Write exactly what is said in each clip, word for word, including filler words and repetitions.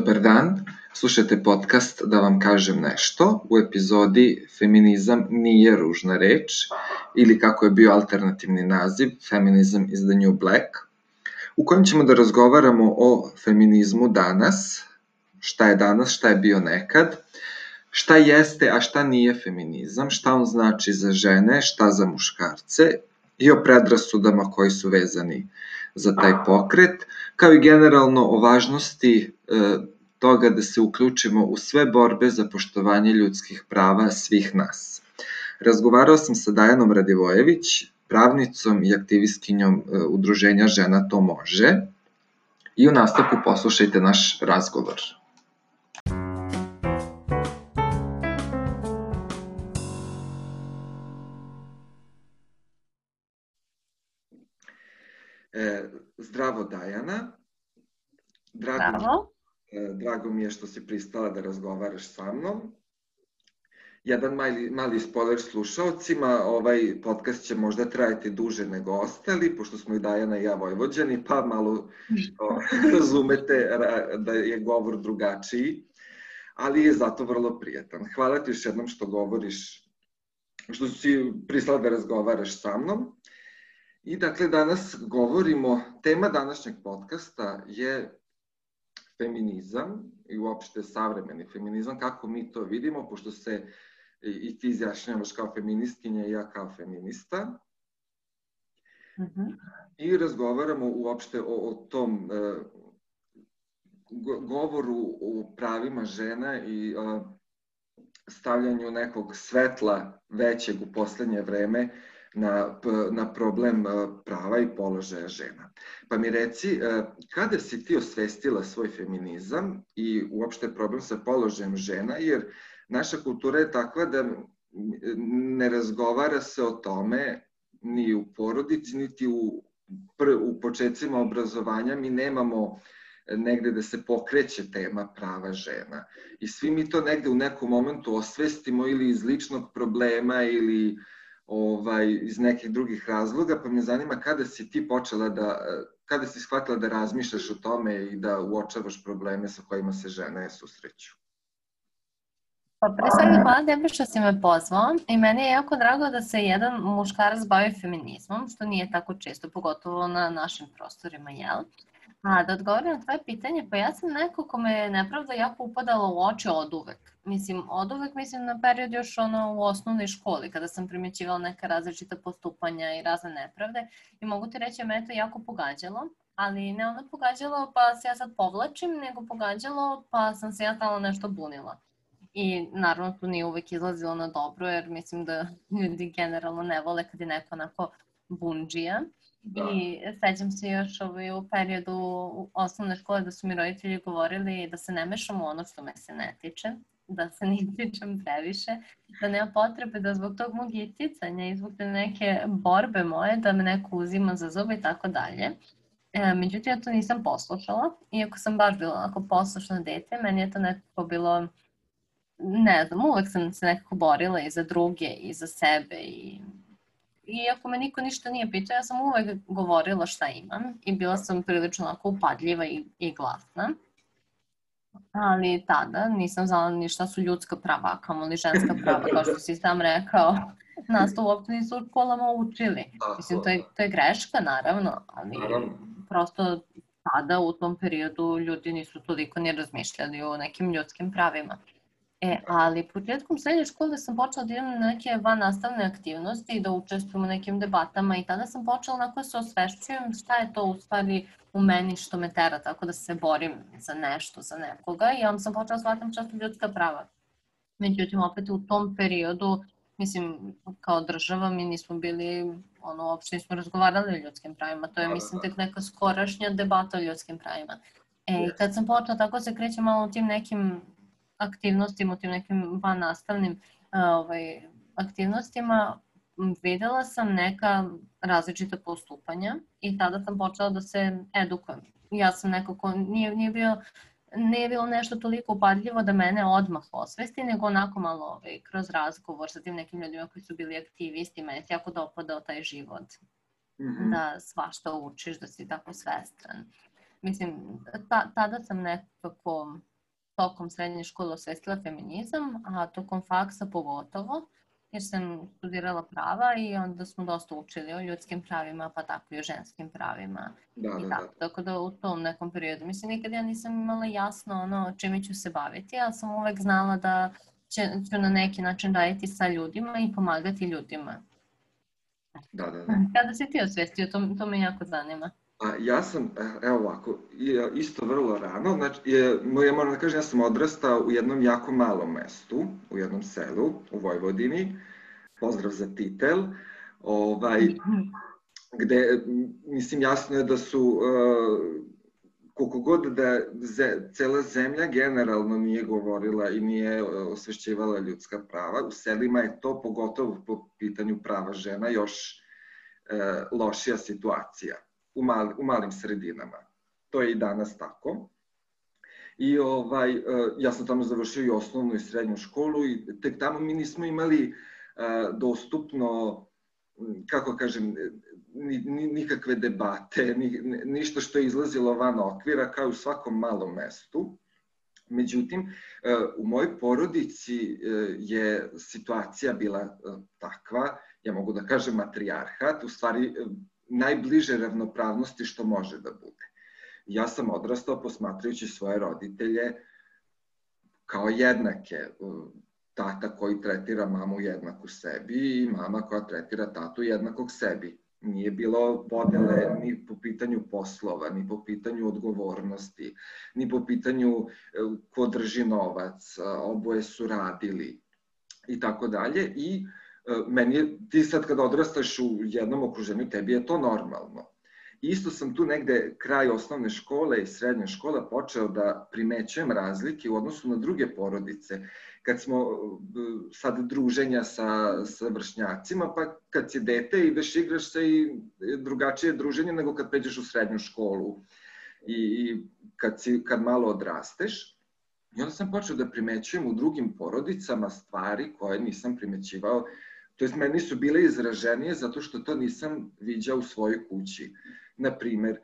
Dobar dan, slušajte podcast Da vam kažem nešto u epizodi Feminizam nije ružna reč ili kako je bio alternativni naziv Feminism is the new black, u kojem ćemo da razgovaramo o feminizmu danas, šta je danas, šta je bio nekad, šta jeste, a šta nije feminizam, šta on znači za žene, šta za muškarce i o predrasudama koji su vezani za taj pokret, kao i generalno o važnosti e, toga da se uključimo u sve borbe za poštovanje ljudskih prava svih nas. Razgovarao sam sa Dajanom Radivojević, pravnicom i aktivistkinjom e, udruženja Žena to može, i u nastavku poslušajte naš razgovor. E, zdravo Dajana. Drago, Zdravo. E, drago mi je što si pristala da razgovaraš sa mnom. Jedan mali, mali spoiler slušalcima, ovaj podcast će možda trajati duže nego ostali, pošto smo i Dajana i ja Vojvođani, pa malo o, razumete da je govor drugačiji, ali je zato vrlo prijatan. Hvala ti još jednom što govoriš, što si pristala da razgovaraš sa mnom. I dakle, danas govorimo, tema današnjeg podcasta je feminizam i uopšte savremeni feminizam, kako mi to vidimo, pošto se i ti izjašnjavaš kao feministkinja i ja kao feminista. Mm-hmm. I razgovaramo uopšte o, o tom e, govoru o pravima žena i e, stavljanju nekog svetla većeg u poslednje vreme Na, na problem prava i položaja žena. Pa mi reci, kada si ti osvestila svoj feminizam i uopšte problem sa položajem žena, jer naša kultura je takva da ne razgovara se o tome ni u porodici, niti u, u početcima obrazovanja. Mi nemamo negde da se pokreće tema prava žena. I svi mi to negde u nekom momentu osvestimo ili iz ličnog problema ili Ovaj, iz nekih drugih razloga, pa me zanima kada si ti počela da, kada si shvatila da razmišljaš o tome i da uočavaš probleme sa kojima se žene susreću? Pa pre svega hvala tebi što si me pozvao i meni je jako drago da se jedan muškarac bavi feminizmom, što nije tako često, pogotovo na našim prostorima, jel? A da odgovorim na tvoje pitanje, pa ja sam neko ko me nepravda jako upadala u oči od uvek. Mislim, od uvek mislim na period još ono u osnovnoj školi, kada sam primjećivala neka različita postupanja i razne nepravde. I mogu ti reći da me to jako pogađalo, ali ne ono pogađalo pa se ja sad povlačim, nego pogađalo pa sam se ja stalno nešto bunila. I naravno tu nije uvek izlazilo na dobro, jer mislim da ljudi generalno ne vole kad je neko onako bundžija. Da. I sećam se još ovaj, u periodu osnovne škole da su mi roditelji govorili da se ne mešam u ono što me se ne tiče, da se ne tičem previše, da nema potrebe da zbog tog mog isticanja i zbog te neke borbe moje da me neko uzima za zube i tako dalje. E, međutim, ja to nisam poslušala, iako sam baš bila onako poslušno dete, meni je to nekako bilo, ne znam, uvek sam se nekako borila i za druge i za sebe i iako me niko ništa nije pitao, ja sam uvek govorila šta imam i bila sam prilično onako upadljiva i, i glasna. Ali tada nisam znala ni šta su ljudska prava, kamoli ženska prava, kao što si sam rekao. Nas to uopšte nisu u školama učili. Mislim, to je, to je greška, naravno, ali prosto tada u tom periodu ljudi nisu toliko ni razmišljali o nekim ljudskim pravima. E, ali početkom srednje škole sam počela da idem na neke vannastavne aktivnosti i da učestvujem u nekim debatama i tada sam počela onako da se osvešćujem šta je to u stvari u meni što me tera tako da se borim za nešto, za nekoga i onda sam počela shvatam šta su ljudska prava. Međutim, opet u tom periodu, mislim, kao država mi nismo bili, ono, uopšte nismo razgovarali o ljudskim pravima, to je, mislim, tek neka skorašnja debata o ljudskim pravima. E, i kad sam počela tako se krećem malo u tim nekim aktivnostima, u tim nekim vannastavnim ovaj, aktivnostima, videla sam neka različita postupanja i tada sam počela da se edukujem. Ja sam nekako, nije, nije, bio, nije bilo nešto toliko upadljivo da mene odmah osvesti, nego onako malo ovaj, kroz razgovor sa tim nekim ljudima koji su bili aktivisti, meni je jako dopadao taj život. Mm-hmm. Da svašta učiš, da si tako svestran. Mislim, ta, tada sam nekako tokom srednje škole osvestila feminizam, a tokom faksa pogotovo, jer sam studirala prava i onda smo dosta učili o ljudskim pravima, pa tako i o ženskim pravima. Da, da, I da. tako, tako da u tom nekom periodu. Mislim, nikad ja nisam imala jasno ono čime ću se baviti, ali sam uvek znala da će, ću na neki način raditi sa ljudima i pomagati ljudima. Da, da, da. Kada si ti osvestio, to, to me jako zanima. A ja sam, evo ovako, isto vrlo rano, znači, je, ja moram da kažem, ja sam odrastao u jednom jako malom mestu, u jednom selu, u Vojvodini, pozdrav za Titel, ovaj, gde, mislim, jasno je da su, uh, koliko god da ze, cela zemlja generalno nije govorila i nije uh, osvešćivala ljudska prava, u selima je to, pogotovo po pitanju prava žena, još uh, lošija situacija. U, mali, u malim sredinama. To je i danas tako. I ovaj, ja sam tamo završio i osnovnu i srednju školu i tek tamo mi nismo imali dostupno, kako kažem, nikakve debate, ništa što je izlazilo van okvira kao u svakom malom mestu. Međutim, u mojoj porodici je situacija bila takva, ja mogu da kažem matrijarhat, u stvari najbliže ravnopravnosti što može da bude. Ja sam odrastao posmatrajući svoje roditelje kao jednake. Tata koji tretira mamu jednako sebi i mama koja tretira tatu jednakog sebi. Nije bilo podele ni po pitanju poslova, ni po pitanju odgovornosti, ni po pitanju ko drži novac, oboje su radili i tako dalje. I meni je, ti sad kada odrastaš u jednom okruženju, tebi je to normalno. Isto sam tu negde kraj osnovne škole i srednje škole počeo da primećujem razlike u odnosu na druge porodice. Kad smo sad druženja sa, sa vršnjacima, pa kad si dete ideš igraš se i drugačije druženje nego kad pređeš u srednju školu. I kad, si, kad malo odrasteš, i onda sam počeo da primećujem u drugim porodicama stvari koje nisam primećivao. To jest, meni su bile izraženije zato što to nisam viđao u svojoj kući. Naprimer,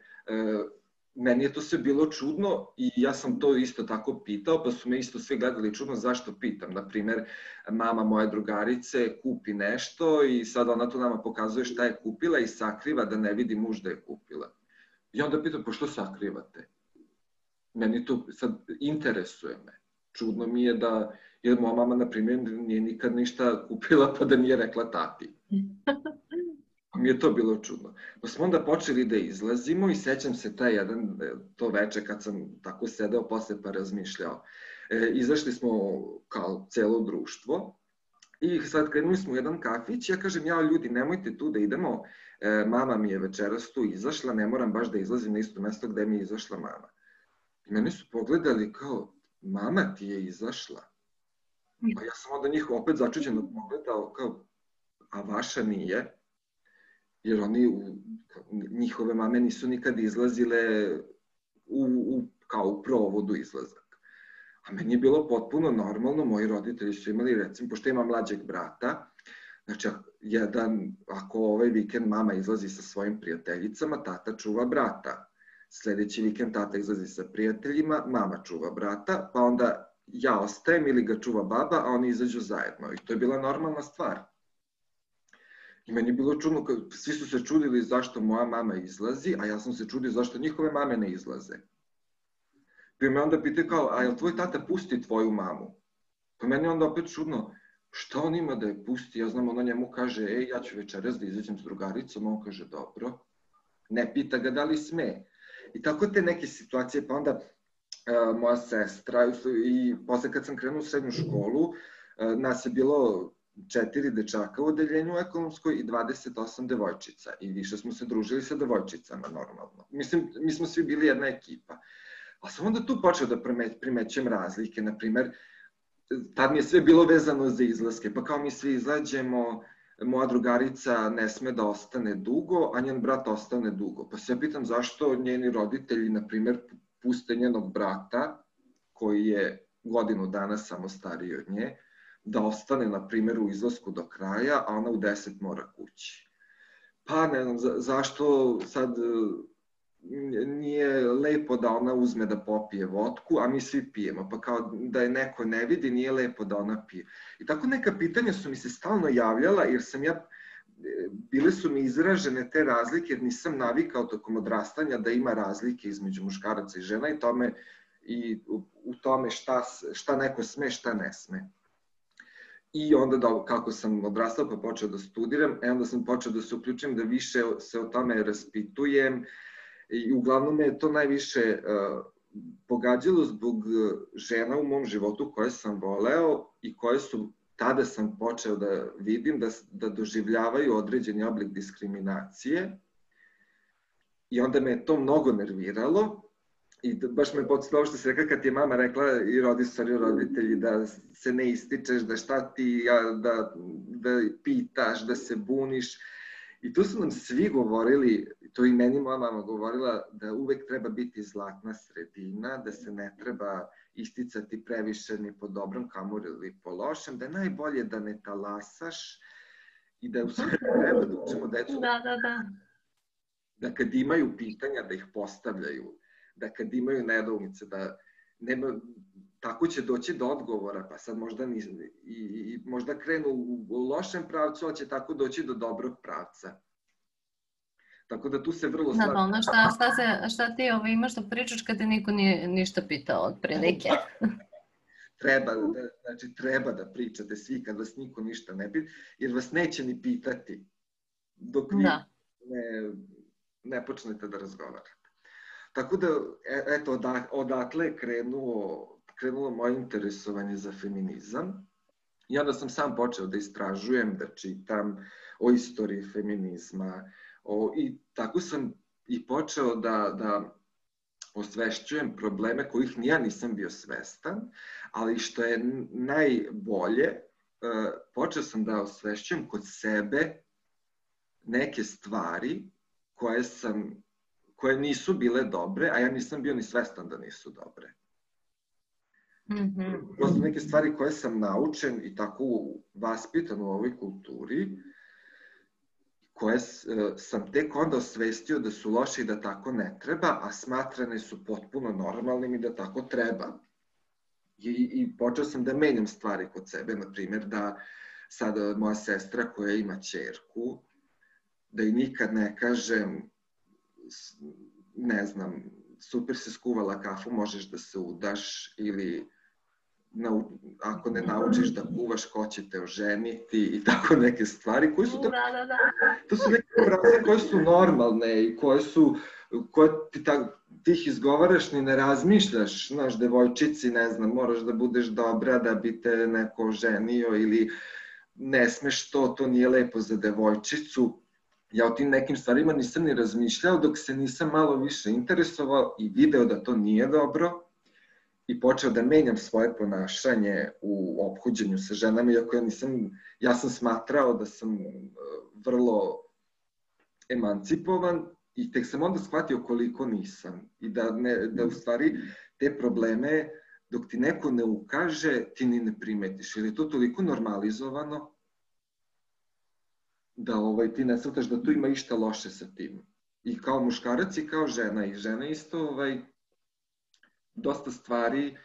meni je to sve bilo čudno i ja sam to isto tako pitao, pa su me isto svi gledali čudno zašto pitam. Naprimer, mama moje drugarice kupi nešto i sad ona to nama pokazuje šta je kupila i sakriva da ne vidi muž da je kupila. I onda pitam, pa što sakrivate? Meni to sad interesuje me. Čudno mi je da, jer moja mama, na primjer, nije nikad ništa kupila pa da nije rekla tati. Mi je to bilo čudno. Pa smo onda počeli da izlazimo i sećam se taj jedan, to veče kad sam tako sedeo posle pa razmišljao. E, izašli smo kao celo društvo i sad krenuli smo u jedan kafić. Ja kažem, ja ljudi, nemojte tu da idemo. E, mama mi je večeras tu izašla, ne moram baš da izlazim na isto mesto gde mi je izašla mama. I meni su pogledali kao, mama ti je izašla. A ja sam onda njih opet začuđeno pogledao kao, a vaša nije? Jer oni, njihove mame nisu nikad izlazile u, u, kao u provodu izlazak. A meni je bilo potpuno normalno, moji roditelji su imali, recimo, pošto imam mlađeg brata, znači, jedan, ako ovaj vikend mama izlazi sa svojim prijateljicama, tata čuva brata. Sljedeći vikend tata izlazi sa prijateljima, mama čuva brata, pa onda ja ostajem ili ga čuva baba, a oni izađu zajedno. I to je bila normalna stvar. I meni je bilo čudno, svi su se čudili zašto moja mama izlazi, a ja sam se čudio zašto njihove mame ne izlaze. Pa me onda pitaju kao, a jel tvoj tata pusti tvoju mamu? Pa meni je onda opet čudno, šta on ima da je pusti? Ja znam, ona njemu kaže, ej, ja ću večeras da izađem s drugaricom, on kaže, dobro. Ne pita ga da li sme. I tako te neke situacije, pa onda uh, moja sestra, i posle kad sam krenuo u srednju školu, uh, nas je bilo četiri dečaka u odeljenju ekonomskoj i dvadeset osam devojčica. I više smo se družili sa devojčicama normalno. Mislim, mi smo svi bili jedna ekipa. A sam onda tu počeo da primećujem razlike. Naprimer, tad mi je sve bilo vezano za izlaske. Pa kao mi svi izlađemo, moja drugarica ne sme da ostane dugo, a njen brat ostane dugo. Pa se ja pitam zašto njeni roditelji, na primjer, puste njenog brata, koji je godinu dana samo stariji od nje, da ostane, na primjer, u izlasku do kraja, a ona u deset mora kući. Pa ne znam, za, zašto sad nije lepo da ona uzme da popije vodku, a mi svi pijemo, pa kao da je neko ne vidi, nije lepo da ona pije. I tako neka pitanja su mi se stalno javljala, jer sam ja, bile su mi izražene te razlike, jer nisam navikao tokom odrastanja da ima razlike između muškaraca i žena i, tome, i u, u tome šta, šta neko sme, šta ne sme. I onda da, kako sam odrastao pa počeo da studiram, e onda sam počeo da se uključim, da više se o tome raspitujem i uglavnom me je to najviše uh, pogađalo zbog žena u mom životu koje sam voleo i koje su, tada sam počeo da vidim da, da doživljavaju određeni oblik diskriminacije i onda me je to mnogo nerviralo. I baš me podsjetilo ovo što se rekla kad ti je mama rekla i roditelji, roditelji da se ne ističeš, da šta ti, da, da pitaš, da se buniš. I tu su nam svi govorili, to i meni moja mama govorila, da uvek treba biti zlatna sredina, da se ne treba isticati previše ni po dobrom kamoli ili po lošem, da je najbolje da ne talasaš i da u sve treba da učimo decu. Da, da, da. Da kad imaju pitanja da ih postavljaju, da kad imaju nedoumice, da nema, tako će doći do odgovora, pa sad možda, ni, i, i možda krenu u, u lošem pravcu, ali će tako doći do dobrog pravca. Tako da tu se vrlo slažem. Da, ono šta, šta, se, šta ti ovo imaš da pričaš kad te niko nije ništa pitao od prilike? treba, da, znači, treba da pričate svi kad vas niko ništa ne pita, jer vas neće ni pitati dok vi da. ne, ne počnete da razgovarate. Tako da, eto, odatle je krenulo, krenulo moje interesovanje za feminizam. I onda sam sam počeo da istražujem, da čitam o istoriji feminizma. O, I tako sam i počeo da, da osvešćujem probleme kojih ja nisam bio svestan, ali što je najbolje, počeo sam da osvešćujem kod sebe neke stvari koje sam koje nisu bile dobre, a ja nisam bio ni svestan da nisu dobre. Mm-hmm. To su neke stvari koje sam naučen i tako vaspitan u ovoj kulturi, koje sam tek onda osvestio da su loše i da tako ne treba, a smatrane su potpuno normalnim i da tako treba. I, i počeo sam da menjam stvari kod sebe, na primjer da sada moja sestra koja ima ćerku, da i nikad ne kažem ne znam, super se skuvala kafu, možeš da se udaš ili nau, ako ne naučiš da kuvaš, ko će te oženiti i tako neke stvari koje su tako, da, da, da. To su neke fraze koje su normalne i koje su koje ti, ta, ti ih izgovaraš ni ne razmišljaš, znaš, devojčici, ne znam, moraš da budeš dobra da bi te neko oženio ili ne smeš to, to nije lepo za devojčicu. Ja o tim nekim stvarima nisam ni razmišljao dok se nisam malo više interesovao i video da to nije dobro i počeo da menjam svoje ponašanje u ophođenju sa ženama, iako ja nisam, ja sam smatrao da sam vrlo emancipovan i tek sam onda shvatio koliko nisam i da, ne, da u stvari te probleme dok ti neko ne ukaže ti ni ne primetiš, jer je to toliko normalizovano da ovaj, ti ne shvataš da tu ima išta loše sa tim. I kao muškarac i kao žena. I žena isto ovaj, dosta stvari, e,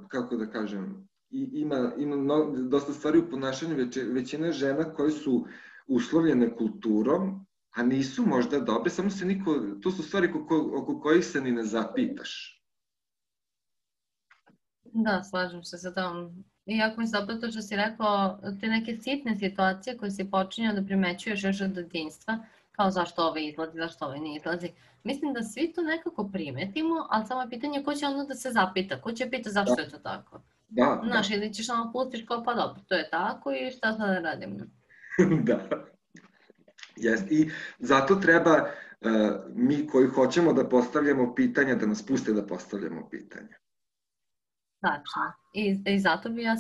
kako da kažem, i, ima, ima no, dosta stvari u ponašanju veće, većine žena koje su uslovljene kulturom, a nisu možda dobre, samo se niko, to su stvari oko, oko kojih se ni ne zapitaš. Da, slažem se sa tom. Iako mi se opet to što si rekao, te neke sitne situacije koje si počinjao da primećuješ još od detinjstva, kao zašto ovaj izlazi, zašto ovaj ne izlazi. Mislim da svi to nekako primetimo, ali samo je pitanje ko će onda da se zapita, ko će pita zašto da. je to tako. Da, Znaš, da. ili ćeš samo pustiš kao pa dobro, to je tako i šta sad da radimo. Da. Jest. I zato treba uh, mi koji hoćemo da postavljamo pitanja, da nas puste da postavljamo pitanja. Tačno. I, I zato bi ja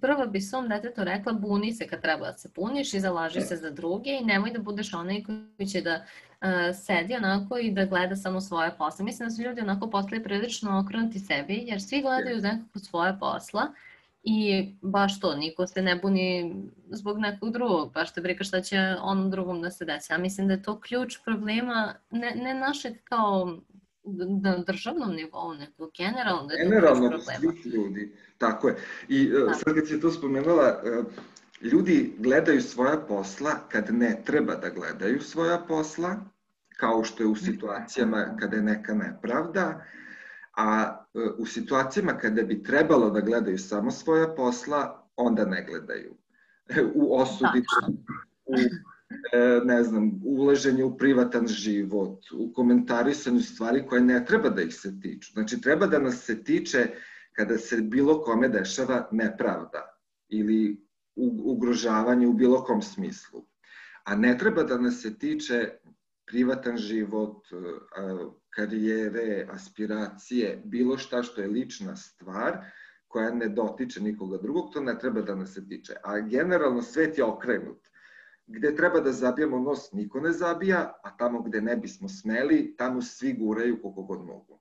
prvo bi svom detetu rekla buni se kad treba da se puniš i zalaži se za druge i nemoj da budeš onaj koji će da uh, sedi onako i da gleda samo svoje posle. Mislim da su ljudi onako postali prilično okrenuti sebi jer svi gledaju nekako svoje posla I baš to, niko se ne buni zbog nekog drugog, baš te briga šta će onom drugom da se desi. Ja mislim da je to ključ problema, ne, ne našeg kao na državnom nivou, nego generalno da je to ključ Generalno problema. svih ljudi, tako je. I uh, sad kad si to spomenula, uh, ljudi gledaju svoja posla kad ne treba da gledaju svoja posla, kao što je u situacijama kada je neka nepravda, a uh, u situacijama kada bi trebalo da gledaju samo svoja posla, onda ne gledaju. U osudi, u ne znam, ulaženje u privatan život, u komentarisanju stvari koje ne treba da ih se tiču. Znači, treba da nas se tiče kada se bilo kome dešava nepravda ili ugrožavanje u bilo kom smislu. A ne treba da nas se tiče privatan život, karijere, aspiracije, bilo šta što je lična stvar koja ne dotiče nikoga drugog, to ne treba da nas se tiče. A generalno svet je okrenut. Gde treba da zabijamo nos, niko ne zabija, a tamo gde ne bismo smeli, tamo svi guraju koliko god mogu.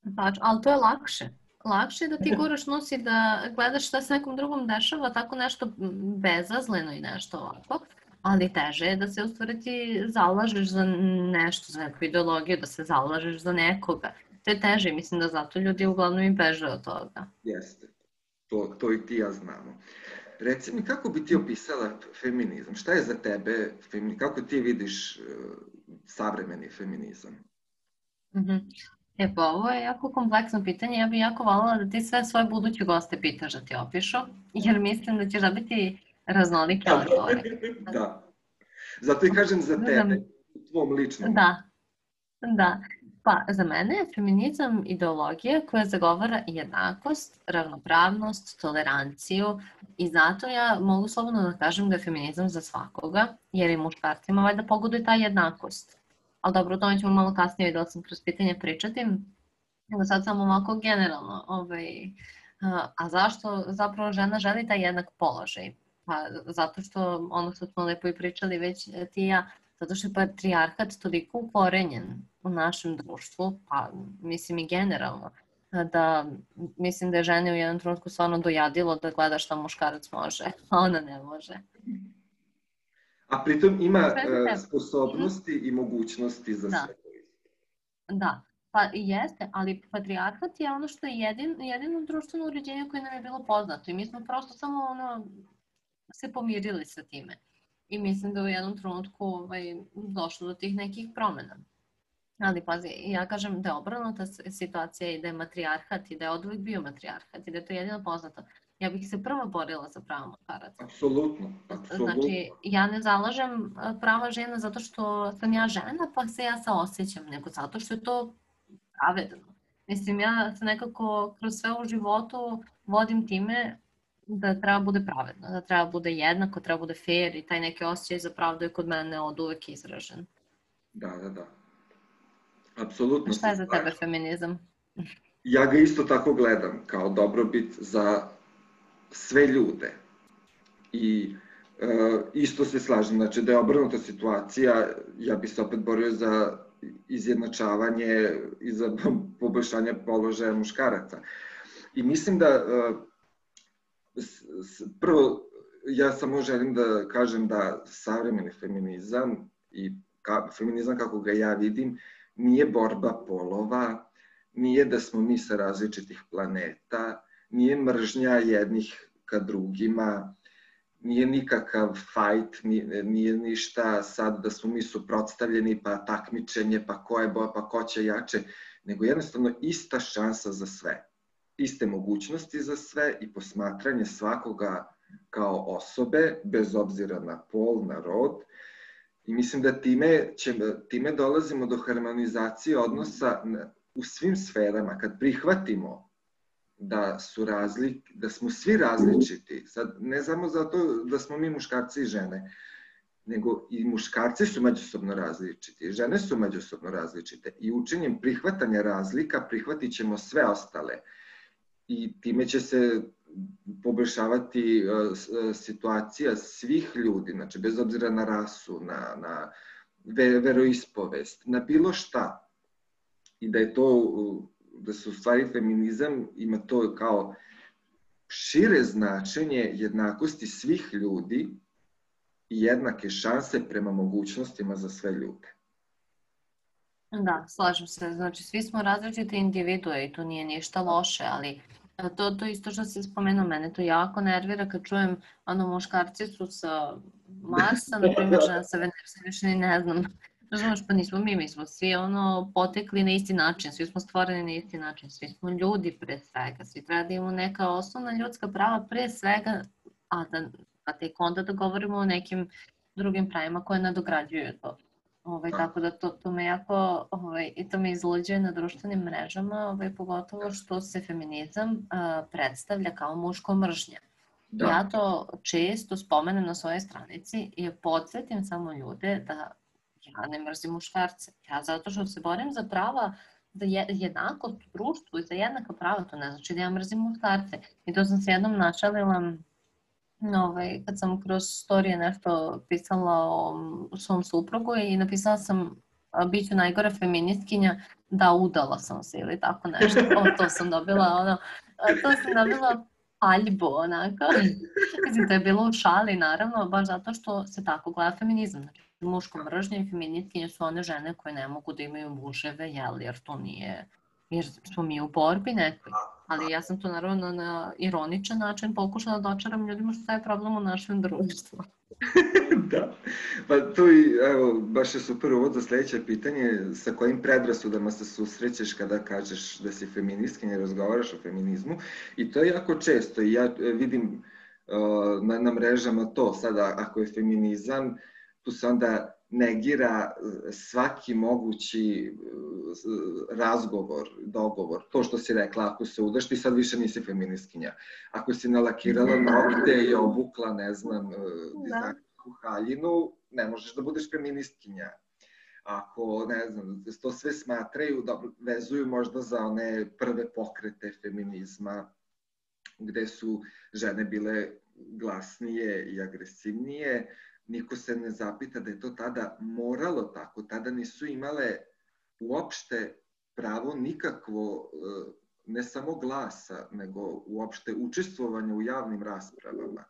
Znači, ali to je lakše. Lakše je da ti guraš nos i da gledaš šta se nekom drugom dešava, tako nešto bezazleno i nešto ovako, ali teže je da se u stvari ti zalažeš za nešto, za neku ideologiju, da se zalažeš za nekoga. To je teže i mislim da zato ljudi uglavnom i beže od toga. Jeste, to, to i ti ja znamo. Reci mi, kako bi ti opisala feminizam? Šta je za tebe, kako ti vidiš uh, savremeni feminizam? Mm-hmm. E pa, ovo je jako kompleksno pitanje. Ja bih jako voljela da ti sve svoje buduće goste pitaš da ti opišu, jer mislim da ćeš dobiti raznolike odgovore. Da, zato i kažem za tebe, u tvom ličnom. Da, da. Pa, za mene je feminizam ideologija koja zagovara jednakost, ravnopravnost, toleranciju i zato ja mogu slobodno da kažem da je feminizam za svakoga, jer i muškarcima valjda pogoduje ta jednakost. Ali dobro, o tome ćemo malo kasnije, vidjela sam kroz pitanje pričati, nego sad samo ovako generalno. Ovaj, a zašto zapravo žena želi taj jednak položaj? Pa, zato što ono što smo lepo i pričali već ti i ja, zato što je patrijarhat toliko ukorenjen u našem društvu, pa mislim i generalno, da mislim da je žene u jednom trenutku stvarno dojadilo da gleda šta muškarac može, a ona ne može. A pritom ima sposobnosti i mogućnosti za sve. Da, pa jeste, ali patrijarhat je ono što je jedin, jedino društveno uređenje koje nam je bilo poznato i mi smo prosto samo ono, se pomirili sa time. I mislim da u jednom trenutku ovaj, došlo do tih nekih promjena. Ali pazi, ja kažem da je obrnuta situacija i da je matrijarhat i da je oduvijek bio matrijarhat i da je to jedino poznato. Ja bih se prvo borila za prava muškaraca. Apsolutno, apsolutno. Znači, ja ne zalažem prava žena zato što sam ja žena pa se ja saosećam, nego zato što je to pravedno. Mislim, ja se nekako kroz sve u životu vodim time da treba bude pravedno, da treba bude jednako, treba bude fair i taj neki osjećaj za pravdu je kod mene od uvek izražen. Da, da, da. Apsolutno. Šta je za tebe feminizam? Ja ga isto tako gledam kao dobrobit za sve ljude. I e, isto se slažem, znači da je obrnuta situacija, ja bih se opet borio za izjednačavanje i za poboljšanje položaja muškaraca. I mislim da e, prvo, ja samo želim da kažem da savremeni feminizam i ka, feminizam kako ga ja vidim nije borba polova, nije da smo mi sa različitih planeta, nije mržnja jednih ka drugima, nije nikakav fajt, nije, nije ništa sad da smo mi suprotstavljeni pa takmičenje, pa ko je bo, pa ko će jače, nego jednostavno ista šansa za sve. Iste mogućnosti za sve i posmatranje svakoga kao osobe, bez obzira na pol, na rod. I mislim da time, će, time dolazimo do harmonizacije odnosa u svim sferama. Kad prihvatimo da, su razlik, da smo svi različiti, sad ne samo zato da smo mi muškarci i žene, nego i muškarci su međusobno različiti, i žene su međusobno različite. I učenjem prihvatanja razlika prihvatit ćemo sve ostale. I time će se poboljšavati situacija svih ljudi, znači bez obzira na rasu, na, na veroispovest, na bilo šta. I da je to, da se u stvari feminizam ima to kao šire značenje jednakosti svih ljudi i jednake šanse prema mogućnostima za sve ljude. Da, slažem se. Znači, svi smo različite individue i to nije ništa loše, ali to, to isto što si spomenuo, mene to jako nervira kad čujem, ono, muškarci su sa Marsa, na primjer, žena sa Venere, više ni ne znam. Znaš, pa nismo mi, mi smo svi ono potekli na isti način, svi smo stvoreni na isti način, svi smo ljudi pre svega, svi treba da imamo neka osnovna ljudska prava pre svega, a da, a tek onda da govorimo o nekim drugim pravima koje nadograđuju to. Ovaj, tako da to, to me jako, ovaj, i to me izluđuje na društvenim mrežama, ovaj, pogotovo što se feminizam uh, predstavlja kao muško mržnja. Da. Ja to često spomenem na svojoj stranici i podsjetim samo ljude da ja ne mrzim muškarce. Ja zato što se borim za prava, za jednakost u društvu i za jednaka prava, to ne znači da ja mrzim muškarce. I to sam se jednom našalila, ovaj, kad sam kroz storije nešto pisala o svom suprugu i napisala sam bit ću najgora feministkinja, da udala sam se ili tako nešto. O, to sam dobila, ono, to sam dobila paljbu, onako. Mislim, to je bilo u šali, naravno, baš zato što se tako gleda feminizam. Znači, muško mržnje i feministkinje su one žene koje ne mogu da imaju muževe, jel, jer to nije, jer smo mi u borbi nekoj. Ali ja sam to naravno na ironičan način pokušala da očaram ljudima što je problem u našem društvu. Da, pa tu i, evo, baš je super uvod za sledeće pitanje, sa kojim predrasudama se susrećeš kada kažeš da si feministkinja i razgovaraš o feminizmu. I to je jako često i ja vidim uh, na, na mrežama to, sada ako je feminizam, tu se onda negira svaki mogući razgovor, dogovor. To što si rekla, ako se udaš, ti sad više nisi feministkinja. Ako si nalakirala nokte i obukla, ne znam, dizajnersku haljinu, ne možeš da budeš feministkinja. Ako, ne znam, to sve smatraju, da vezuju možda za one prve pokrete feminizma, gde su žene bile glasnije i agresivnije, niko se ne zapita da je to tada moralo tako, tada nisu imale uopšte pravo nikakvo, ne samo glasa, nego uopšte učestvovanje u javnim raspravama.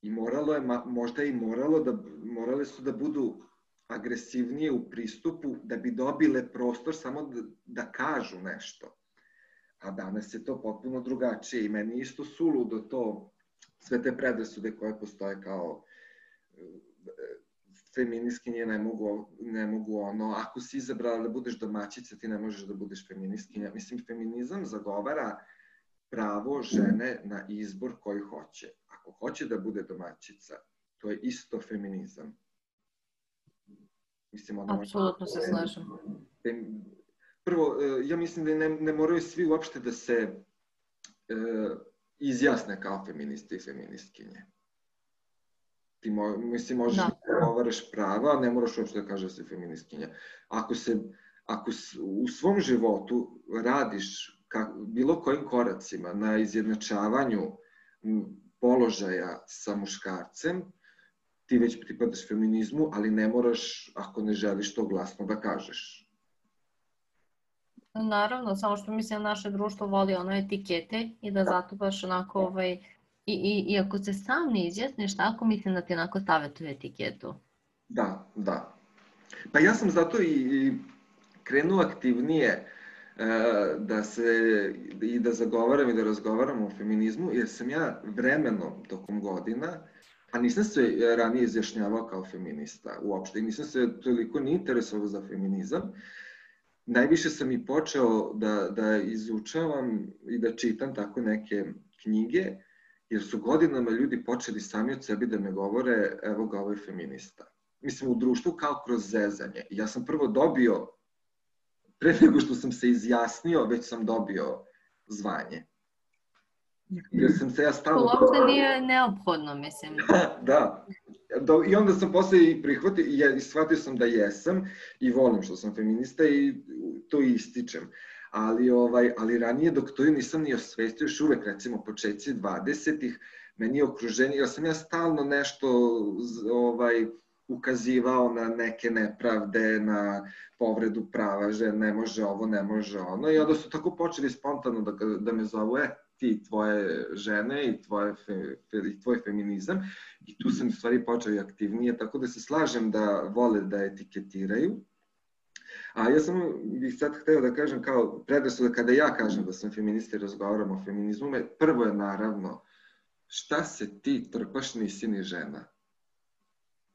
I moralo je, možda i moralo da, morale su da budu agresivnije u pristupu da bi dobile prostor samo da, da kažu nešto. A danas je to potpuno drugačije i meni isto suludo to, sve te predrasude koje postoje kao feministkinje ne mogu, ne mogu ono, ako si izabrala da budeš domaćica, ti ne možeš da budeš feministkinja. Mislim, feminizam zagovara pravo žene na izbor koji hoće. Ako hoće da bude domaćica, to je isto feminizam. Mislim, ono, apsolutno se slažem. Prvo, ja mislim da ne, ne moraju svi uopšte da se e, izjasne kao feministi i feministkinje. Ti mo, mislim, možeš da govaraš prava, a ne moraš uopšte da kažeš da si feministkinja. Ako, se, ako u svom životu radiš ka, bilo kojim koracima na izjednačavanju položaja sa muškarcem, ti već pripadaš feminizmu, ali ne moraš, ako ne želiš to glasno da kažeš. Naravno, samo što mislim da naše društvo voli ono etikete i da zato baš onako ovaj, i, i, i ako se sam ne izjasniš, tako mislim da ti onako stave tu etiketu. Da, da. Pa ja sam zato i, i krenuo aktivnije e, da se i da zagovaram i da razgovaram o feminizmu, jer sam ja vremenom tokom godina, a nisam se ranije izjašnjavao kao feminista uopšte i nisam se toliko ni interesovao za feminizam. Najviše sam i počeo da, da izučavam i da čitam tako neke knjige, jer su godinama ljudi počeli sami od sebi da me govore, evo ga, ovo je feminista. Mislim, u društvu kao kroz zezanje. Ja sam prvo dobio, pre nego što sam se izjasnio, već sam dobio zvanje. Jer sam se ja stalno... To uopšte nije neophodno, mislim. Da, da. I onda sam posle i prihvatio i shvatio sam da jesam i volim što sam feminista i to ističem. Ali, ovaj, ali ranije dok to nisam ni osvestio, još uvek recimo početci dvadesetih, meni je okruženje, jer sam ja stalno nešto ovaj, ukazivao na neke nepravde, na povredu prava, že ne može ovo, ne može ono. I onda su tako počeli spontano da, da me zovu, e, ti tvoje žene i, tvoje fe, i tvoj feminizam i tu sam u stvari počeo i aktivnije, tako da se slažem da vole da etiketiraju. A ja samo bih sad hteo da kažem kao predrasuda kada ja kažem da sam feminista i razgovaram o feminizmu, prvo je naravno šta se ti trpaš, nisi ni žena.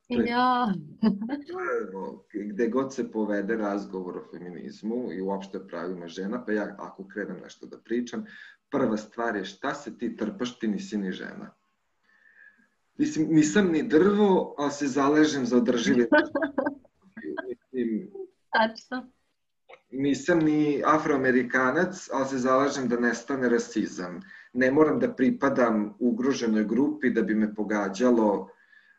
Ja. Prvo, gde god se povede razgovor o feminizmu i uopšte o pravima žena, pa ja ako krenem nešto da pričam, prva stvar je šta se ti trpaš, ti nisi ni žena. Mislim, nisam ni drvo, ali se zaležem za održivi. Mislim, Tačno. Nisam ni afroamerikanac, ali se zalažem da nestane rasizam. Ne moram da pripadam ugroženoj grupi da bi me pogađalo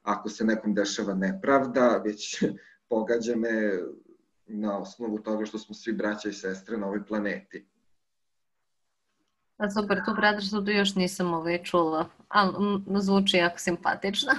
ako se nekom dešava nepravda, već pogađa me na osnovu toga što smo svi braća i sestre na ovoj planeti. A super, tu predrasudu još nisam ovaj čula, ali zvuči jako simpatično.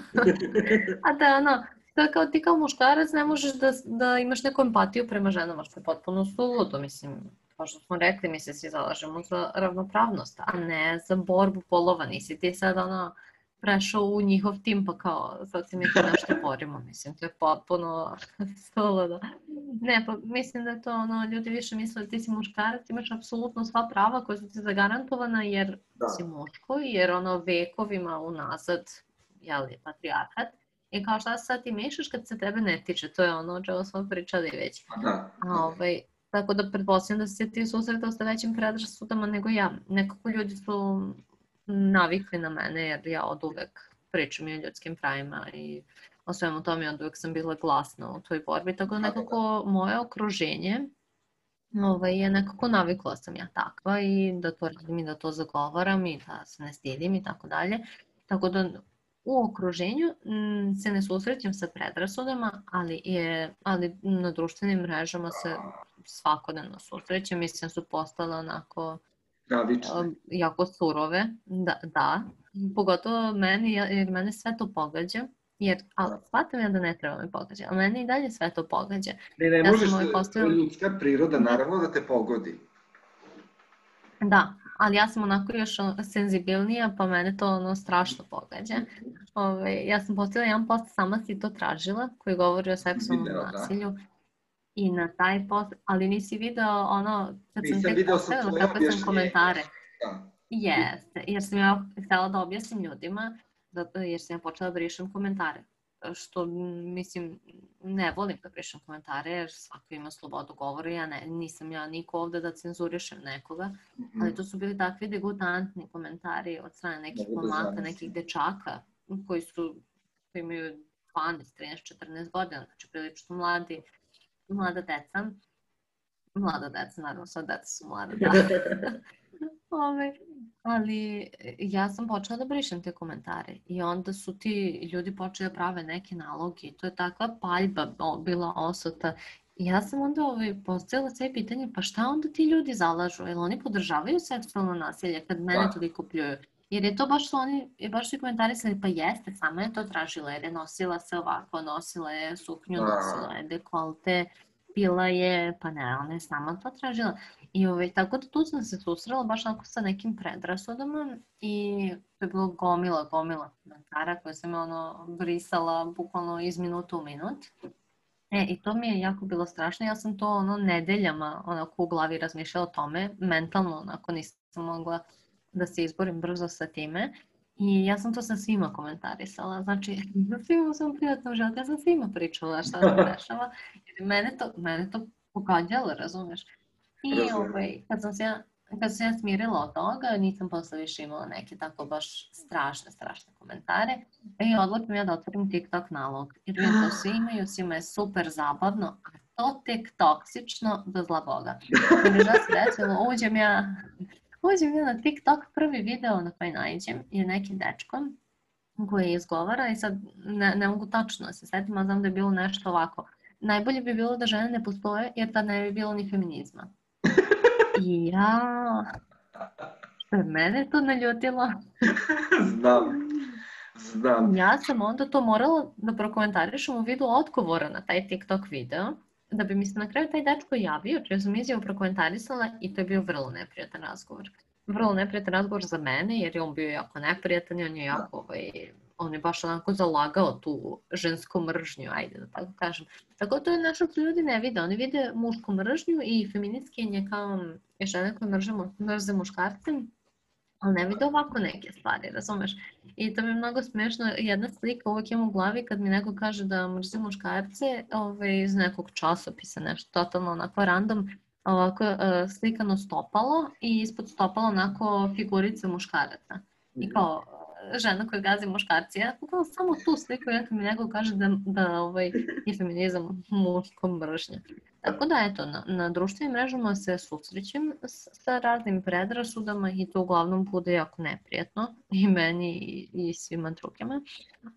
A da, ono, da kao ti kao muškarac ne možeš da, da imaš neku empatiju prema ženama, što je potpuno suludo, mislim, kao što smo rekli, mi se svi zalažemo za ravnopravnost, a ne za borbu polova, nisi ti sad ono prešao u njihov tim pa kao sad si mi tu nešto borimo, mislim, to je potpuno suludo. Ne, pa mislim da je to ono, ljudi više misle da ti si muškarac, imaš apsolutno sva prava koja su ti zagarantovana jer da. si muško, jer ono vekovima unazad, jeli, patrijarhat, i kao šta se sad ti mešaš kad se tebe ne tiče, to je ono o čemu smo pričali već. Da. A, ovaj, tako da pretpostavljam da si ti susretao sa većim predrasudama nego ja. Nekako ljudi su navikli na mene jer ja od uvek pričam i o ljudskim pravima i o svemu tome od uvek sam bila glasna u toj borbi, tako da nekako moje okruženje ovaj, je nekako navikla sam ja takva i da to radim i da to zagovaram i da se ne stidim i tako dalje. Tako da u okruženju m, se ne susrećem sa predrasudama, ali, je, ali na društvenim mrežama se svakodnevno susrećem, mislim su postale onako Pravične. jako surove, da, da. Pogotovo meni, jer mene sve to pogađa, jer, ali shvatam ja da ne treba me pogađa, ali meni i dalje sve to pogađa. Ne, ne ja možeš, postavila... ljudska priroda naravno da te pogodi. Da, ali ja sam onako još senzibilnija, pa mene to ono strašno pogađa. Ove, ja sam postavila jedan post, sama si to tražila, koji govori o seksualnom Video, nasilju. Da. I na taj post, ali nisi video ono, kad sam tek postavila, kakve sam komentare. Da. Jeste, jer sam ja htjela da objasnim ljudima, zato, jer sam ja počela da brišem komentare. Što, mislim, ne volim da brišem komentare, jer svako ima slobodu govora, ja ne, nisam ja niko ovde da cenzurišem nekoga, mm-hmm. ali to su bili takvi degutantni komentari od strane nekih momaka, nekih dečaka, koji su, koji imaju dvanaest, trinaest, četrnaest godina, znači prilično mladi, mlada deca, mlada deca, naravno sad deca su mlada, da. Ove, ali ja sam počela da brišem te komentare i onda su ti ljudi počeli da prave neke naloge i to je takva paljba bila osuta. I ja sam onda ovaj, postavila sve pitanje, pa šta onda ti ljudi zalažu? Jel oni podržavaju seksualno nasilje kad mene toliko pljuju? Jer je to baš su oni, baš su i komentarisali, pa jeste, sama je to tražila jer je nosila se ovako, nosila je suknju, nosila je dekolte, pila je, pa ne, ona je sama to tražila. I ovaj, tako da tu sam se susrela baš onako sa nekim predrasudama i to je bilo gomila, gomila komentara koje sam ono brisala bukvalno iz minuta u minut. E, i to mi je jako bilo strašno, ja sam to ono nedeljama onako u glavi razmišljala o tome, mentalno onako nisam mogla da se izborim brzo sa time. I ja sam to sa svima komentarisala, znači sa svima u svom privatnom životu, ja sam svima pričala šta se dešava, jer mene to, mene to pogađalo, razumeš? I ovaj, kad sam se ja, kad sam se ja smirila od toga, nisam posle više imala neke tako baš strašne, strašne komentare i odlučim ja da otvorim TikTok nalog, jer mi to svi imaju, svima je super zabavno, a to tek toksično do zla Boga. I mi da se desilo, uđem ja... Uđem ja na TikTok, prvi video na koji nađem je neki dečko koji izgovara i sad ne, ne mogu tačno da se setim, a znam da je bilo nešto ovako. Najbolje bi bilo da žene ne postoje jer tad ne bi bilo ni feminizma. I ja... Što je mene to naljutilo? Znam, znam. Ja sam onda to morala da prokomentarišem u vidu odgovora na taj TikTok video, da bi mi se na kraju taj dečko javio, čeo sam izjavu prokomentarisala i to je bio vrlo neprijatan razgovor. vrlo neprijatan razgovor za mene, jer je on bio jako neprijatan i on je jako, ovaj, on je baš onako zalagao tu žensku mržnju, ajde da tako kažem. Tako to je nešto što ljudi ne vide, oni vide mušku mržnju i feministkinje kao žene koje mrze muškarce, ali ne vide ovako neke stvari, razumeš? I to mi je mnogo smiješno, jedna slika uvijek imam u glavi kad mi neko kaže da mrzi muškarce ovaj, iz nekog časopisa, nešto totalno onako random, ovako uh, slikano stopalo i ispod stopalo onako figurice muškaraca. I kao žena koja gazi muškarci, ja kao samo tu sliku, ja kad mi neko kaže da, da ovaj, je feminizam muško mržnja. Tako da, eto, na, na društvenim mrežama se susrećem sa raznim predrasudama i to uglavnom bude jako neprijatno i meni i, i svima drugima.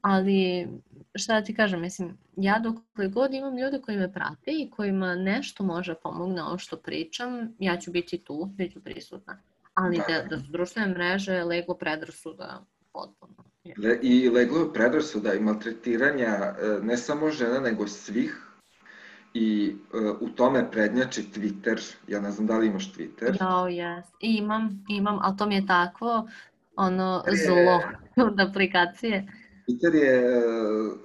Ali, šta da ti kažem, mislim, ja dokle god imam ljude koji me prate i kojima nešto može pomogne ovo što pričam, ja ću biti tu, bit ću prisutna. Ali da, da su društvene mreže leglo predrasuda potpuno. Le, I leglo predrasuda i maltretiranja ne samo žena, nego svih. I uh, u tome prednjači Twitter. Ja ne znam da li imaš Twitter. Jao, jes. Imam, imam, ali to mi je tako ono zlo od aplikacije. Twitter je uh,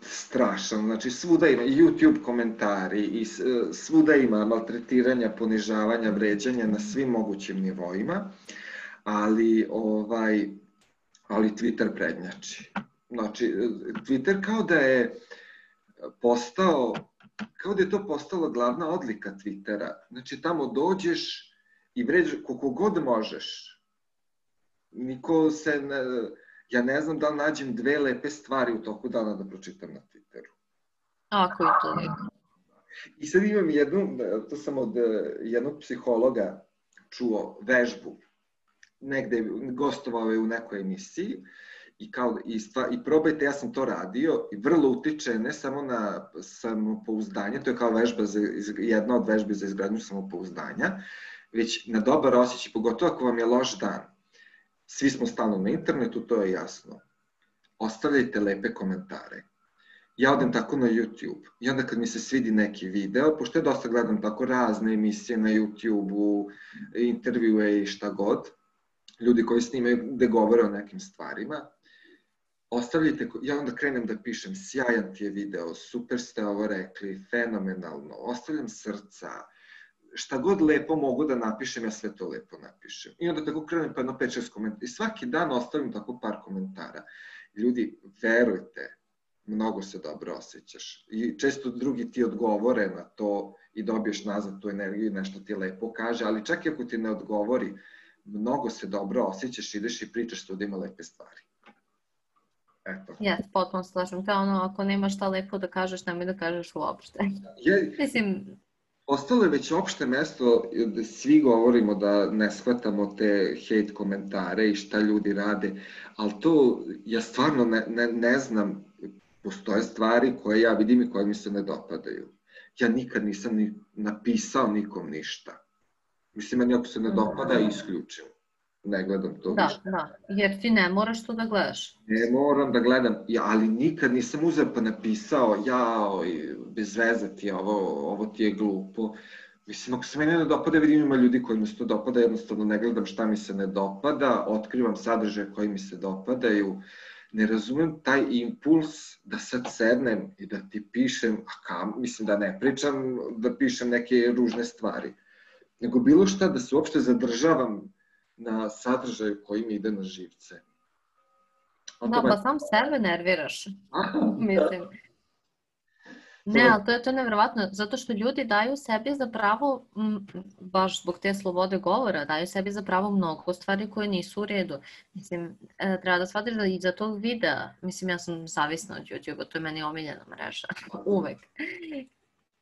strašan, znači svuda ima i YouTube komentari i uh, svuda ima maltretiranja, ponižavanja, vređanja na svim mogućim nivoima, ali ovaj, ali Twitter prednjači. Znači, Twitter kao da je postao kao da je to postala glavna odlika Twittera. Znači, tamo dođeš i vređaš koliko god možeš. Niko se... Ne, ja ne znam da li nađem dve lepe stvari u toku dana da pročitam na Twitteru. Ako je to neko. I sad imam jednu, to sam od jednog psihologa čuo, vežbu. Negde gostovao je u nekoj emisiji. I, kao, i, stva, i probajte, ja sam to radio i vrlo utiče ne samo na samopouzdanje, to je kao vežba za, jedna od vežbi za izgradnju samopouzdanja, već na dobar osjećaj, pogotovo ako vam je loš dan. Svi smo stalno na internetu, to je jasno. Ostavljajte lepe komentare. Ja odem tako na YouTube i onda kad mi se svidi neki video, pošto ja dosta gledam tako razne emisije na YouTube-u, intervjue i šta god, ljudi koji snimaju gde govore o nekim stvarima, ostavljajte, ja onda krenem da pišem, sjajan ti je video, super ste ovo rekli, fenomenalno, ostavljam srca, šta god lepo mogu da napišem, ja sve to lepo napišem. I onda tako krenem pa jedno pet šest komentara. I svaki dan ostavim tako par komentara. Ljudi, verujte, mnogo se dobro osjećaš. I često drugi ti odgovore na to i dobiješ nazad tu energiju i nešto ti lepo kaže, ali čak i ako ti ne odgovori, mnogo se dobro osjećaš, ideš i pričaš tu da ima lepe stvari. Eto. Ja, potpuno slažem. To je ono, ako nemaš šta lepo da kažeš, nemoj da kažeš uopšte. Je, Mislim... Ostalo je već opšte mesto gde svi govorimo da ne shvatamo te hejt komentare i šta ljudi rade, ali to ja stvarno ne, ne, ne znam, postoje stvari koje ja vidim i koje mi se ne dopadaju. Ja nikad nisam ni napisao nikom ništa. Mislim, meni ako se ne dopada, isključim. Ne gledam to da, više. Da, jer ti ne moraš to da gledaš. Ne moram da gledam, ja, ali nikad nisam uzeo pa napisao, jao, bez veze ti je ovo, ovo ti je glupo. Mislim, ako se meni ne dopada, vidim ima ljudi koji mi se to dopada, jednostavno ne gledam šta mi se ne dopada, otkrivam sadržaje koji mi se dopadaju. Ne razumem taj impuls da sad sednem i da ti pišem, a kam, mislim da ne pričam, da pišem neke ružne stvari, nego bilo šta da se uopšte zadržavam na sadržaju koji mi ide na živce. Da, pa sam sebe nerviraš. Mislim. Ne, ali to je to nevjerovatno, zato što ljudi daju sebi za pravo, baš zbog te slobode govora, daju sebi za pravo mnogo stvari koje nisu u redu. Mislim, treba da shvatiš da iza tog videa, mislim, ja sam zavisna od YouTube-a, to je meni omiljena mreža, uvek.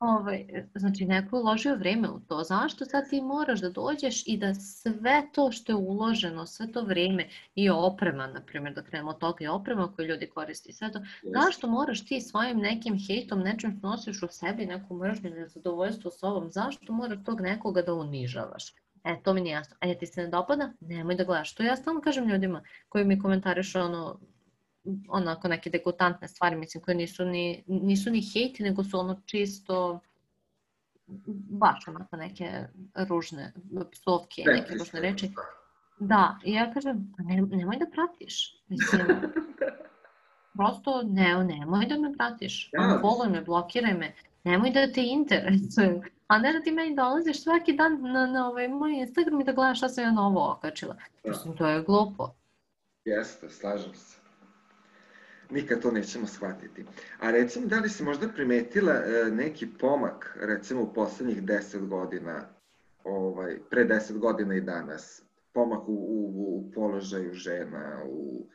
Ovaj, znači, neko je uložio vreme u to. Zašto sad ti moraš da dođeš i da sve to što je uloženo, sve to vreme i oprema, na primjer, da krenemo od toga i oprema koju ljudi koriste i sve to, zašto moraš ti svojim nekim hejtom, nečim što nosiš u sebi, neku mržnju, nezadovoljstvo s ovom, zašto moraš tog nekoga da unižavaš? E, to mi nije jasno. A je ti se ne dopada? Nemoj da gledaš. To ja stalno kažem ljudima koji mi komentarišu ono, onako neke degutantne stvari, mislim, koje nisu ni, nisu ni hejti, nego su ono čisto baš onako neke ružne psovke, neke ružne reči. Da, i ja kažem, pa ne, nemoj da pratiš. Mislim, prosto ne, nemoj da me pratiš. Ja, Unfollow me, blokiraj me. Nemoj da te interesuje. A ne da ti meni dolaziš svaki dan na, na ovaj moj Instagram i da gledaš šta sam ja novo okačila. Mislim, to je glupo. Jeste, slažem se. Nikad to nećemo shvatiti. A recimo, da li si možda primetila e, neki pomak, recimo u poslednjih deset godina, ovaj, pre deset godina i danas, pomak u, u, u položaju žena, u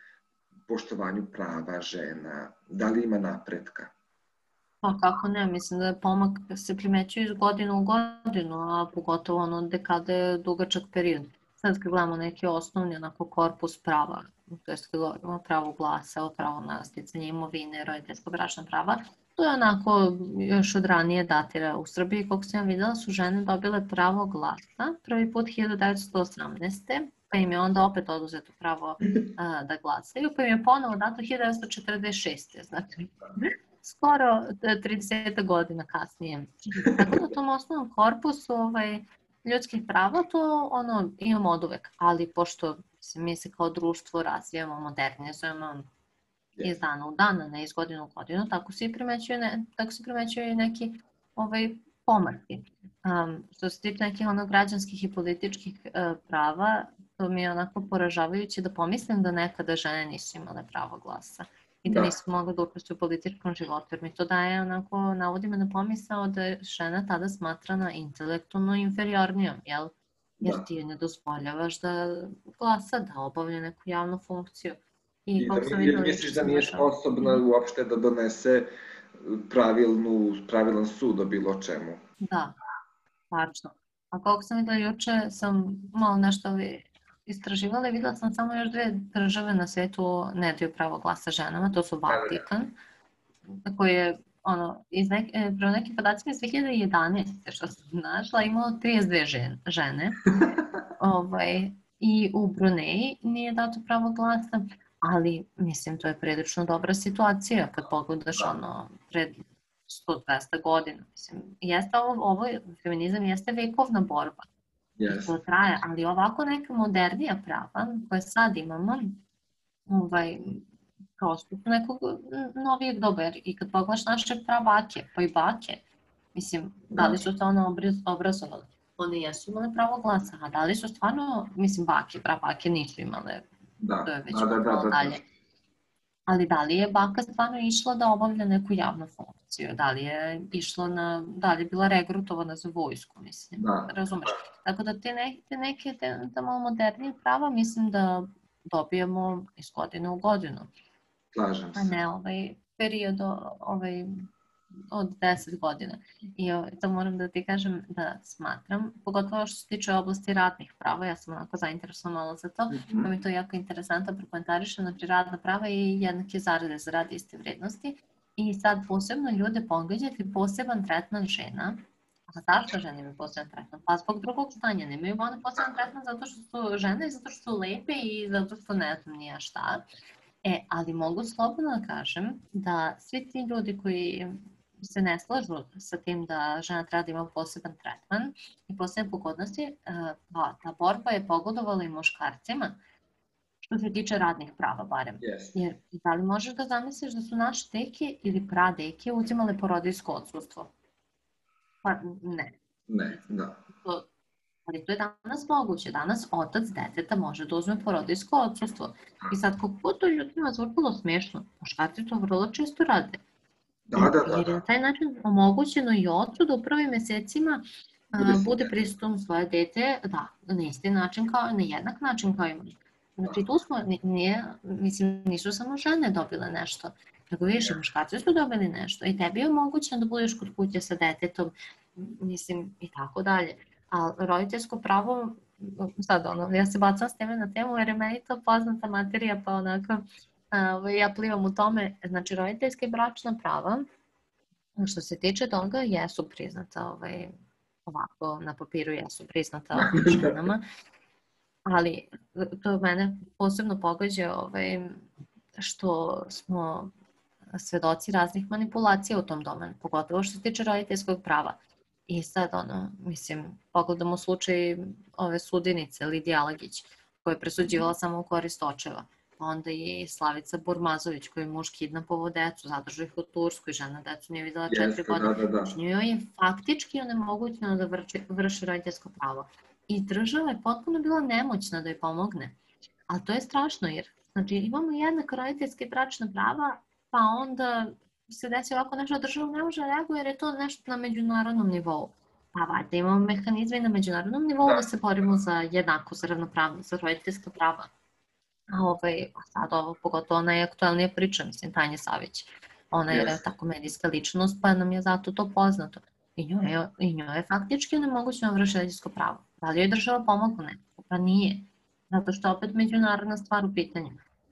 poštovanju prava žena, da li ima napretka? Pa kako ne, mislim da pomak se primećuje iz godinu u godinu, a pogotovo ono dekade je dugačak period. Sad kad gledamo neki osnovni onako korpus prava, to jest kad govorimo o pravu glasa, o pravu na sticanje imovine, roditeljsko bračna prava, to je onako još od ranije datira u Srbiji. Koliko sam ja videla su žene dobile pravo glasa prvi put hiljadu devetsto osamnaeste. pa im je onda opet oduzeto pravo a, da glasaju, pa im je ponovo dato hiljadu devetsto četrdeset šeste. Znači, skoro trideset godina kasnije. Tako da u tom osnovnom korpusu ovaj, ljudskih prava to ono, imamo od uvek, ali pošto se mi se kao društvo razvijamo, modernizujemo iz dana u dan, ne iz godinu u godinu, tako se i primećuje, ne, tako se primećuje i neki ovaj, pomarki. Um, što se tiče nekih ono, građanskih i političkih uh, prava, to mi je onako poražavajuće da pomislim da nekada žene nisu imale pravo glasa i da, da. nisu mogle da učestvuju u političkom životu, jer mi to daje onako, navodi me na pomisao da je žena tada smatrana intelektualno inferiornijom, jel? Jer da. ti ne dozvoljavaš da glasa, da obavlja neku javnu funkciju. I, I da mi, jer misliš da nije sposobna uopšte da donese pravilnu, pravilan sud o bilo čemu. Da, tačno. A koliko sam videla juče, sam malo nešto istraživala i videla sam samo još dve države na svetu ne daju pravo glasa ženama, to su Vatikan, koji je ono, iz nek, prema nekim podacima iz dve hiljade jedanaeste što sam našla, imalo trideset dve žene, žene. ovaj, i u Bruneji nije dato pravo glasa, ali mislim to je prilično dobra situacija kad pogledaš ono pred sto do dvesta godina. Mislim, jeste ovo, ovo feminizam jeste vekovna borba. Yes. I to traje, ali ovako neka modernija prava koje sad imamo, ovaj, prosto su nekog novijeg doba, jer i kad pogledaš naše prabake, pa i bake, mislim, da li su se ono obrazovali? One jesu imale pravo glasa, a da li su stvarno, mislim, bake, prabake nisu imale, da, to je već da, da, da, da, dalje. Ali da li je baka stvarno išla da obavlja neku javnu funkciju, da li je išla na, da li je bila regrutovana za vojsku, mislim, da. Razumeš? Tako da te, ne, te neke, te, te malo modernije prava, mislim da dobijemo iz godine u godinu. Slažem se. A ne ovaj period ovaj, od deset godina. I to moram da ti kažem da smatram, pogotovo što se tiče oblasti radnih prava, ja sam onako zainteresovana za to, mm-hmm. pa mi to jako interesantno prokomentarišem, znači radna prava i jednake zarade za rad iste vrednosti. I sad posebno ljude pogađati poseban tretman žena. A zašto žene imaju poseban tretman? Pa zbog drugog stanja, nemaju one poseban tretman zato što su žene, zato što su lepe i zato što ne znam nija šta. E, ali mogu slobodno da kažem da svi ti ljudi koji se ne slažu sa tim da žena treba da ima poseban tretman i posebne pogodnosti, pa ta borba je pogodovala i muškarcima što se tiče radnih prava barem. Yes. Jer da li možeš da zamisliš da su naše deke ili pradeke uzimale porodiljsko odsustvo? Pa ne. Ne, da. To, ali to je danas moguće. Danas otac deteta može da uzme porodiljsko odsustvo. I sad kako to ljudima zvučilo smiješno, muškarci to vrlo često rade. Da, da, da. Jer je na taj način omogućeno i ocu da u prvim mesecima a, bude prisutom svoje dete, da, na isti način kao, na jednak način kao i muž. Znači tu smo, nije, mislim, nisu samo žene dobile nešto, nego više muškarci su dobili nešto i tebi je omogućeno da budeš kod kuće sa detetom, mislim, i tako dalje. A roditeljsko pravo, sad ono, ja se bacam s teme na temu jer je meni to poznata materija, pa onako uh, ja plivam u tome, znači roditeljska i bračna prava, što se tiče toga, jesu priznata, ovaj, ovako na papiru jesu priznata ženama, ali to mene posebno pogađa ovaj, što smo svedoci raznih manipulacija u tom domenu, pogotovo što se tiče roditeljskog prava. I sad, ono, mislim, pogledamo slučaj ove sudinice, Lidije Alagić, koja je presuđivala samo u korist očeva. Onda je i Slavica Burmazović koji je muž kidnapovao decu, zadržao ih u Turskoj, žena decu nije videla četiri godine. Da, da, da. Znači njoj je faktički onemogućeno da vrši, vrši roditeljsko pravo. I država je potpuno bila nemoćna da joj pomogne. Ali to je strašno jer znači, imamo jednako roditeljske i bračna prava, pa onda se desi ovako nešto, država ne može reaguje jer je to nešto na međunarodnom nivou. Pa valjda imamo mehanizme na međunarodnom nivou da, da se borimo za jednakost, za ravnopravnost, za roditeljska prava. A ovaj, sad ovo, pogotovo najaktualnija priča, mislim, Tanja Savić. Ona je yes. tako medijska ličnost, pa nam je zato to poznato. I njoj je, i njoj je faktički nemogućno vrši roditeljsko pravo. Da li joj država pomogla? Ne, pa nije. Zato što opet međunarodna stvar u pitanju.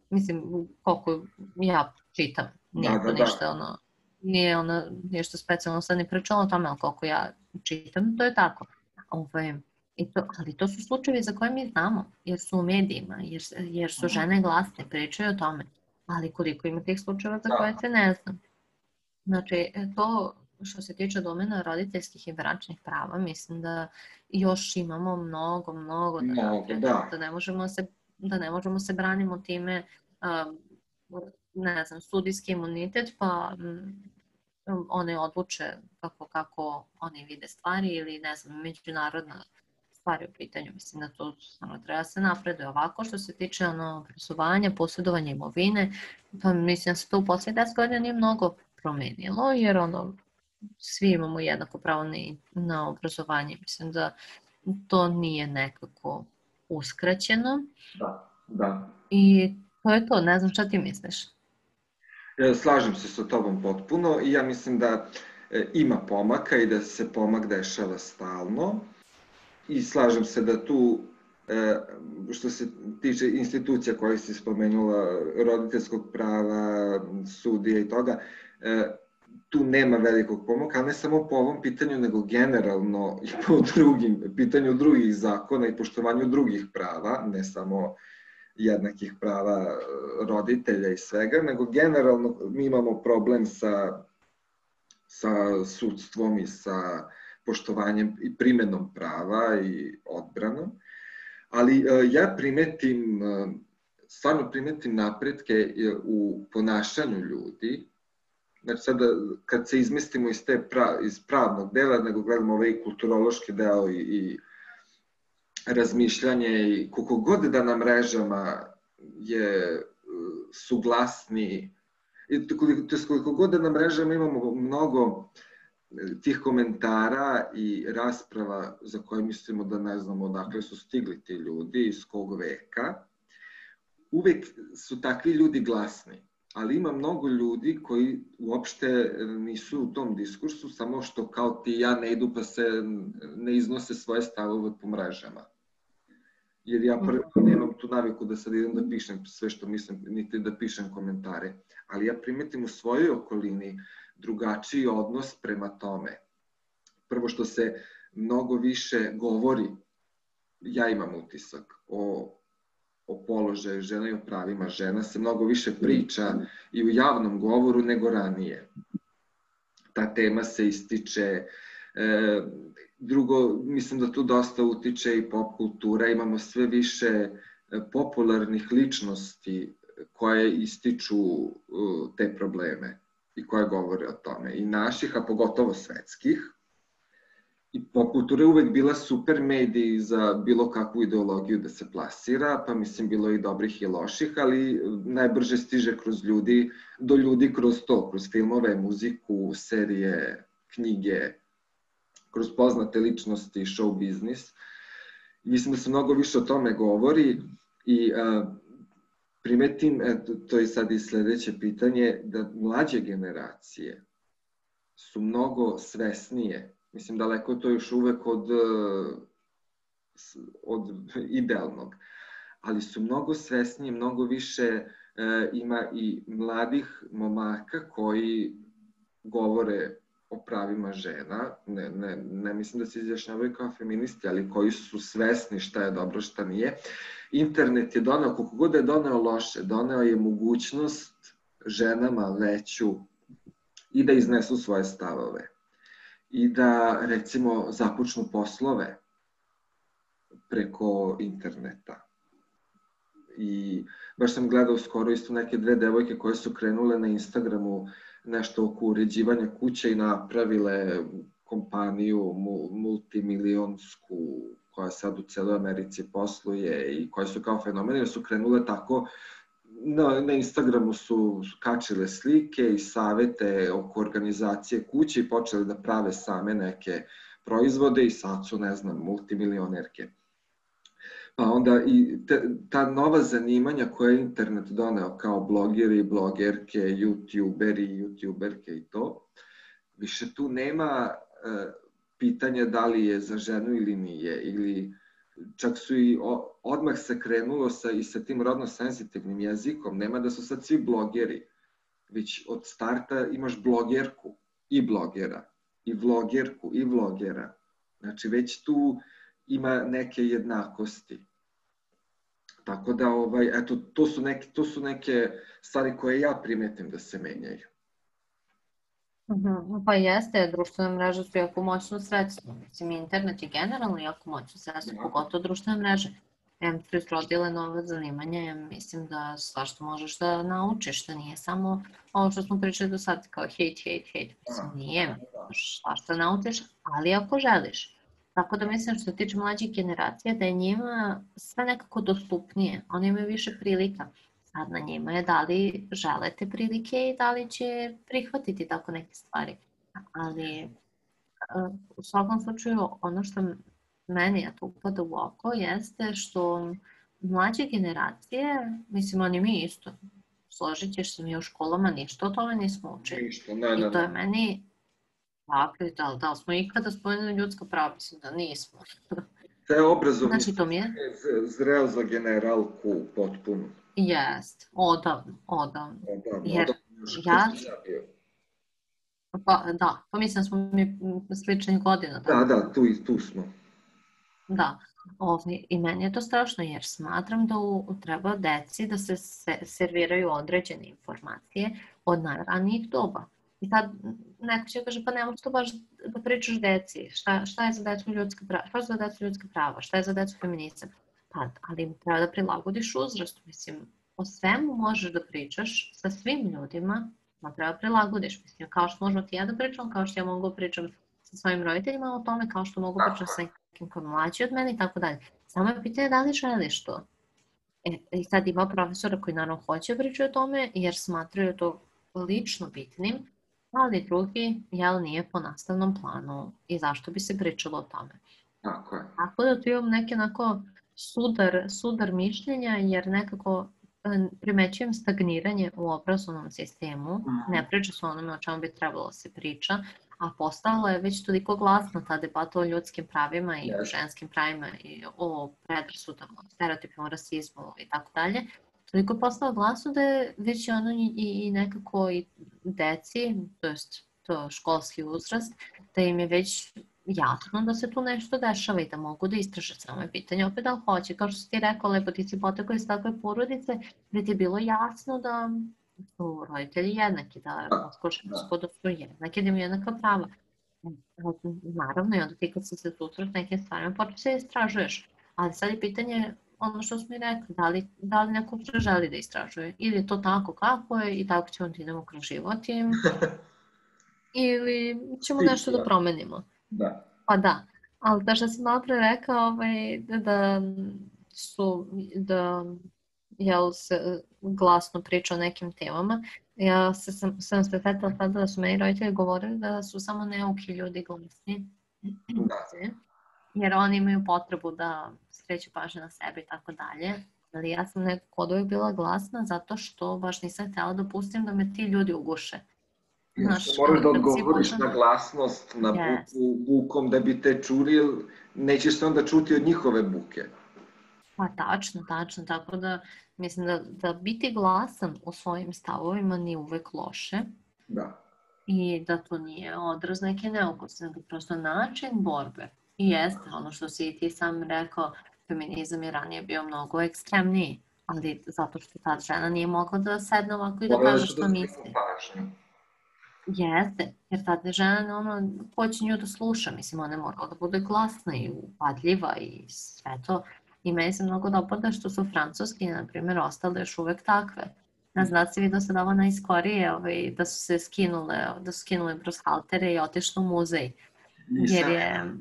Mislim, koliko ja čitam, nije da, to da, ništa da. ono, nije ono nešto specijalno sad ne pričala o tome, ali koliko ja čitam, to je tako. Ove, i to, ali to su slučajevi za koje mi znamo, jer su u medijima, jer, jer su žene glasne, pričaju o tome. Ali koliko ima tih slučajeva za koje se ne znam. Znači, to što se tiče domena roditeljskih i bračnih prava, mislim da još imamo mnogo, mnogo da napredujemo, da. da ne možemo se, da ne možemo se branimo time, um, ne znam, sudijski imunitet, pa um, one odluče kako, kako oni vide stvari ili, ne znam, međunarodna stvari u pitanju. Mislim da to samo treba se napreduje. Ovako što se tiče ono, obrazovanja, posjedovanja imovine, pa mislim da se to u posljednjih deset godina nije mnogo promenilo, jer ono, svi imamo jednako pravo na, na obrazovanje. Mislim da to nije nekako uskraćeno. Da, da. I to je to, ne znam šta ti misliš. Slažem se sa tobom potpuno i ja mislim da ima pomaka i da se pomak dešava stalno. I slažem se da tu, što se tiče institucija koje si spomenula, roditeljskog prava, sudija i toga, tu nema velikog pomaka, ne samo po ovom pitanju, nego generalno i po drugim, pitanju drugih zakona i poštovanju drugih prava, ne samo jednakih prava roditelja i svega, nego generalno mi imamo problem sa, sa sudstvom i sa poštovanjem i primenom prava i odbranom, ali ja primetim, stvarno primetim napretke u ponašanju ljudi. Znači sada kad se izmestimo iz, te pra, iz pravnog dela, nego gledamo ovaj kulturološki deo i, i razmišljanje i koliko god da na mrežama je suglasni, to je koliko god da na mrežama imamo mnogo tih komentara i rasprava za koje mislimo da ne znamo odakle su stigli ti ljudi, iz kog veka, uvek su takvi ljudi glasni. Ali ima mnogo ljudi koji uopšte nisu u tom diskursu, samo što kao ti i ja ne idu pa se ne iznose svoje stavove po mrežama. Jer ja prvo nemam tu naviku da sad idem da pišem sve što mislim, niti da pišem komentare. Ali ja primetim u svojoj okolini drugačiji odnos prema tome. Prvo što se mnogo više govori, ja imam utisak o o položaju žena i o pravima žena se mnogo više priča i u javnom govoru nego ranije. Ta tema se ističe. E, drugo, mislim da tu dosta utiče i pop kultura. Imamo sve više popularnih ličnosti koje ističu te probleme i koje govore o tome. I naših, a pogotovo svetskih. I pop kultura je uvek bila super medij za bilo kakvu ideologiju da se plasira, pa mislim bilo i dobrih i loših, ali najbrže stiže kroz ljudi, do ljudi kroz to, kroz filmove, muziku, serije, knjige, kroz poznate ličnosti, show biznis. Mislim da se mnogo više o tome govori i a, primetim, eto, to je sad i sledeće pitanje, da mlađe generacije su mnogo svesnije. Mislim, daleko je to još uvek od, od idealnog, ali su mnogo svesniji, mnogo više e, ima i mladih momaka koji govore o pravima žena, ne, ne, ne mislim da se izjašnjavaju kao feministi, ali koji su svesni šta je dobro, šta nije. Internet je doneo, koliko god je doneo loše, doneo je mogućnost ženama veću i da iznesu svoje stavove. I da, recimo, započnu poslove preko interneta. I baš sam gledao skoro isto neke dve devojke koje su krenule na Instagramu nešto oko uređivanja kuće i napravile kompaniju multimilionsku koja sad u celoj Americi posluje i koje su kao fenomeni, jer su krenule tako, na, na Instagramu su kačile slike i savete oko organizacije kuće i počele da prave same neke proizvode i sad su, ne znam, multimilionerke. Pa onda i te, ta nova zanimanja koje je internet doneo kao blogeri, blogerke, youtuberi, youtuberke i to, više tu nema e, pitanja da li je za ženu ili nije, ili čak su i o, odmah se krenulo sa, i sa tim rodno senzitivnim jezikom, nema da su sad svi blogeri, već od starta imaš blogerku i blogera, i vlogerku i vlogera, znači već tu ima neke jednakosti. Tako da, ovaj, eto, to su, neke, to su neke stvari koje ja primetim da se menjaju. Pa jeste, društvene mreže su jako moćno sredstvo. Mislim, internet je generalno jako moćno sredstvo, pogotovo društvene mreže. Em su izrodile nove zanimanje, mislim da svašta možeš da naučiš, da nije samo ovo što smo pričali do sad, kao hejt, hejt, hejt. Mislim, nije, svašta naučiš, ali ako želiš. Tako da mislim što se tiče mlađih generacija da je njima sve nekako dostupnije, oni imaju više prilika. Sad na njima je da li žele te prilike i da li će prihvatiti tako neke stvari. Ali u svakom slučaju ono što meni je to upada u oko jeste što mlađe generacije, mislim oni mi isto, složit ćeš se, mi u školama ništa o tome nismo učili. Ništa, ne, ne, I to je ne. meni, dakle, da li, da li smo ikada spomenuli ljudska prava, mislim da nismo. To je obrazovni Znači, to mi je zreo za generalku potpuno. Jest, odavno, odavno. Odavno, Jer odavno, ja, pa, da, pa mislim da smo mi sličnih godina. Da, da, da tu, tu smo. Da, ovdje, i meni je to strašno jer smatram da u, treba deci da se, se serviraju određene informacije od najranijih doba. I sad neko će kaže pa ne možeš to baš da pričaš deci, šta, šta je za decu ljudska prava, šta je za decu ljudska prava, šta je za decu feminizam. Pa, ali treba da prilagodiš uzrastu, mislim, o svemu možeš da pričaš sa svim ljudima, ma treba prilagodiš, mislim, kao što možemo ti ja da pričam, kao što ja mogu pričam sa svojim roditeljima o tome, kao što mogu pričam sa nekim koji je mlađi od mene i tako dalje. Samo je pitanje da li želiš to. E, i sad ima profesora koji naravno hoće pričati o tome, jer smatraju to lično bitnim, ali drugi, jel, nije po nastavnom planu i zašto bi se pričalo o tome. Tako je. Tako da tu imam neke onako sudar, sudar mišljenja, jer nekako primećujem stagniranje u obrazovnom sistemu, ne priča se o onome o čemu bi trebalo se priča, a postala je već toliko glasna ta debata o ljudskim pravima i o ženskim pravima i o predrasudama, o stereotipima, o rasizmu i tako dalje. Toliko je postala glasno da je već ono i, i nekako i deci, to jest to školski uzrast, da im je već jasno da se tu nešto dešava i da mogu da istraže. Samo je pitanje opet da li hoće. Kao što si ti rekao, lepo ti si potekao iz takve porodice gdje ti je bilo jasno da su roditelji jednaki, da gospodo su jednaki, da imaju jednaka prava. Naravno, i onda ti kad se se susreš nekim stvarima, počeš se istražuješ. Ali sad je pitanje ono što smo i rekli, da li, da li neko želi da istražuje. Ili je to tako kako je i tako ćemo da idemo kroz život ili ćemo nešto da promenimo. Da. Pa da, ali to što sam malo pre rekao, ovaj, da su, da jel, se glasno priča o nekim temama, ja se, sam, sam se setila tada da su meni roditelji govorili da su samo neuki ljudi glasni, Da. jer oni imaju potrebu da skreću pažnju na sebe i tako dalje. Ali ja sam nekako od uvijek bila glasna zato što baš nisam htjela da pustim da me ti ljudi uguše. Znaš, moraš da odgovoriš na glasnost, na buku, bukom da bi te čuli, jer nećeš se onda čuti od njihove buke. Pa tačno, tačno, tako da mislim da, da biti glasan u svojim stavovima nije uvek loše. Da. I da to nije odraz neke neukosti, nego prosto način borbe. I jeste, ono što si ti sam rekao, feminizam je ranije bio mnogo ekstremniji, ali zato što ta žena nije mogla da sedne ovako i da kaže što misli. Jeste, jer tada je žena, ono, ko će nju da sluša, mislim, ona je morala da bude glasna i upadljiva i sve to. I meni se mnogo dopada što su francuski, na primjer, ostale još uvek takve. Ne znam da si vidio sad ovo najskorije, ovaj, da su se skinule, da su skinule brushaltere i otišli u muzej. Jer je,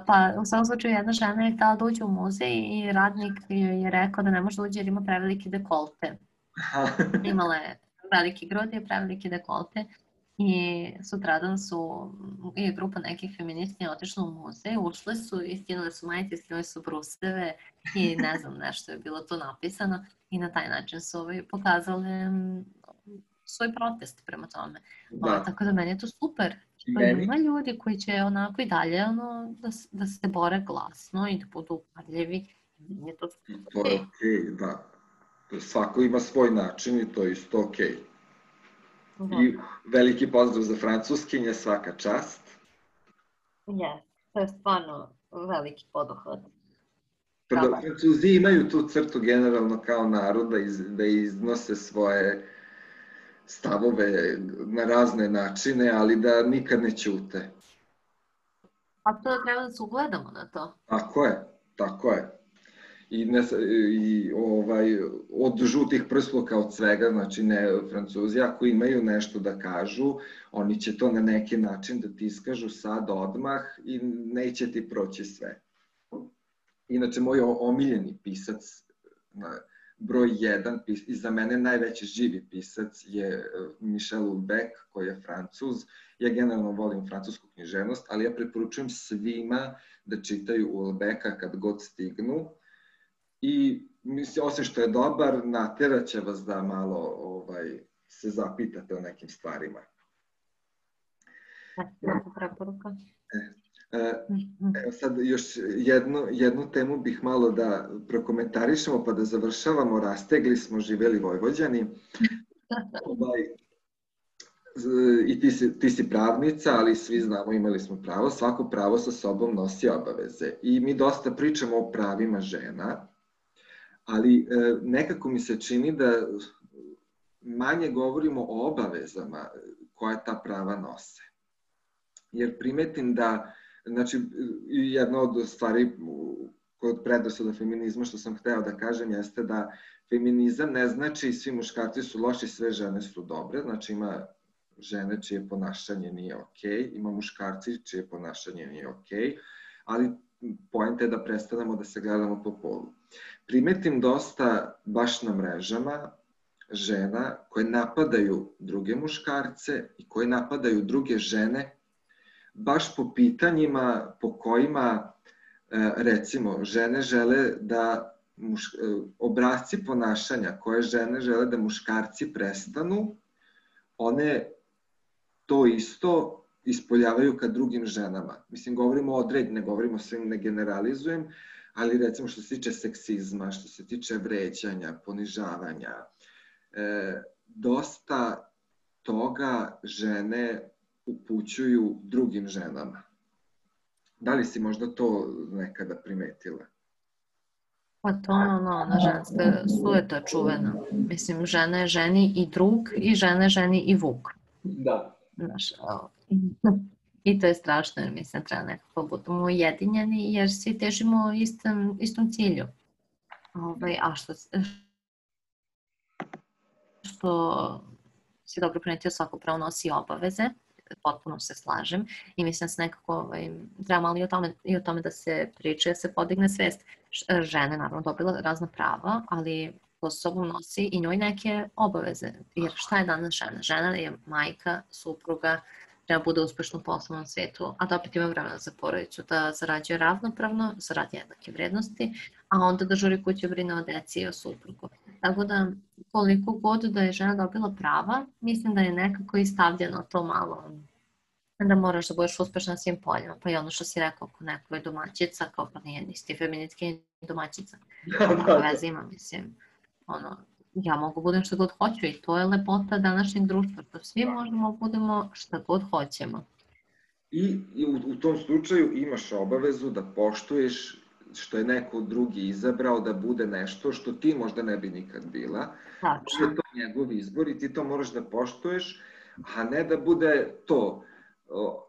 pa u svakom slučaju jedna žena je htjela da uđe u muzej i radnik je rekao da ne može da uđe jer ima preveliki dekolte. Imala je veliki grudi i preveliki dekolte. I sutradan su i grupa nekih feministkinja otišla u muzej, ušle su i skinule su majice, skinule su bruseve i ne znam, nešto je bilo tu napisano i na taj način su ovaj, pokazali svoj protest prema tome. Da. O, tako da meni je to super. Što meni... ima ljudi koji će onako i dalje ono, da, da se bore glasno i da budu upadljivi. Meni je to super. To je okej, okay, da. Svako ima svoj način i to je isto okej. Okay. I veliki pozdrav za francuskinje, svaka čast. Je, to je stvarno veliki poduhvat. Francuzi imaju tu crtu generalno kao narod da, iz, da iznose svoje stavove na razne načine, ali da nikad ne ćute. A to treba da se ugledamo na to. Tako je, tako je. I, ne, i ovaj, od žutih prsluka od svega, znači ne Francuzi, ako imaju nešto da kažu, oni će to na neki način da ti iskažu sad odmah i neće ti proći sve. Inače, moj omiljeni pisac, broj jedan, i za mene najveći živi pisac je Michel Houellebecq, koji je Francuz. Ja generalno volim francusku književnost, ali ja preporučujem svima da čitaju Houellebecqa kad god stignu. I mislim, osim što je dobar, naterat će vas da malo ovaj, se zapitate o nekim stvarima. Tako preporuka. E, e, evo sad još jednu, jednu temu bih malo da prokomentarišemo pa da završavamo. Rastegli smo, živeli Vojvođani. Ovaj, I ti si, ti si pravnica, ali svi znamo, imali smo pravo. Svako pravo sa sobom nosi obaveze. I mi dosta pričamo o pravima žena, ali nekako mi se čini da manje govorimo o obavezama koje ta prava nose. Jer primetim da, znači, jedna od stvari kod predrasuda feminizma što sam hteo da kažem jeste da feminizam ne znači svi muškarci su loši, sve žene su dobre, znači ima žene čije ponašanje nije okej, ima muškarci čije ponašanje nije okej, ali poenta je da prestanemo da se gledamo po polu. Primetim dosta, baš na mrežama, žena koje napadaju druge muškarce i koje napadaju druge žene, baš po pitanjima po kojima, recimo, žene žele da, muš, obrasci ponašanja koje žene žele da muškarci prestanu, one to isto ispoljavaju ka drugim ženama. Mislim, govorimo odred, ne govorimo svim, ne generalizujem, ali recimo što se tiče seksizma, što se tiče vređanja, ponižavanja, e, dosta toga žene upućuju drugim ženama. Da li si možda to nekada primetila? Pa to ono, ona ženska sujeta čuvena. Mislim, žena je ženi i drug i žena je ženi i vuk. Da. Znaš, i to je strašno, jer mislim, treba nekako budemo ujedinjeni, jer svi težimo istom, istom cilju. Ovaj, a što, što si dobro primetio, svako pravo nosi obaveze, potpuno se slažem i mislim da se nekako ovaj, treba malo i o, tome, i o tome da se priča, da se podigne svest. Žene naravno dobila razna prava, ali to s sobom nosi i njoj neke obaveze. Jer šta je danas žena? Žena je majka, supruga, treba bude uspešno u poslovnom svetu, a da opet ima vremena za porodicu, da zarađuje ravnopravno, zaradi jednake vrednosti, a onda da žuri kuću brine o deci i o suprugu. Tako da, koliko god da je žena dobila prava, mislim da je nekako i stavljeno to malo, da moraš da budeš uspešna na svim poljima. Pa i ono što si rekao, ako neko je domaćica, kao pa nije nisti feministke i domaćica. Kako veze ima, mislim, ono, ja mogu budem što god hoću i to je lepota današnjeg društva, što svi možemo budemo šta god hoćemo. I, i u, u tom slučaju imaš obavezu da poštuješ što je neko drugi izabrao da bude nešto što ti možda ne bi nikad bila. Tačno. Je to njegov izbor i ti to moraš da poštuješ, a ne da bude to,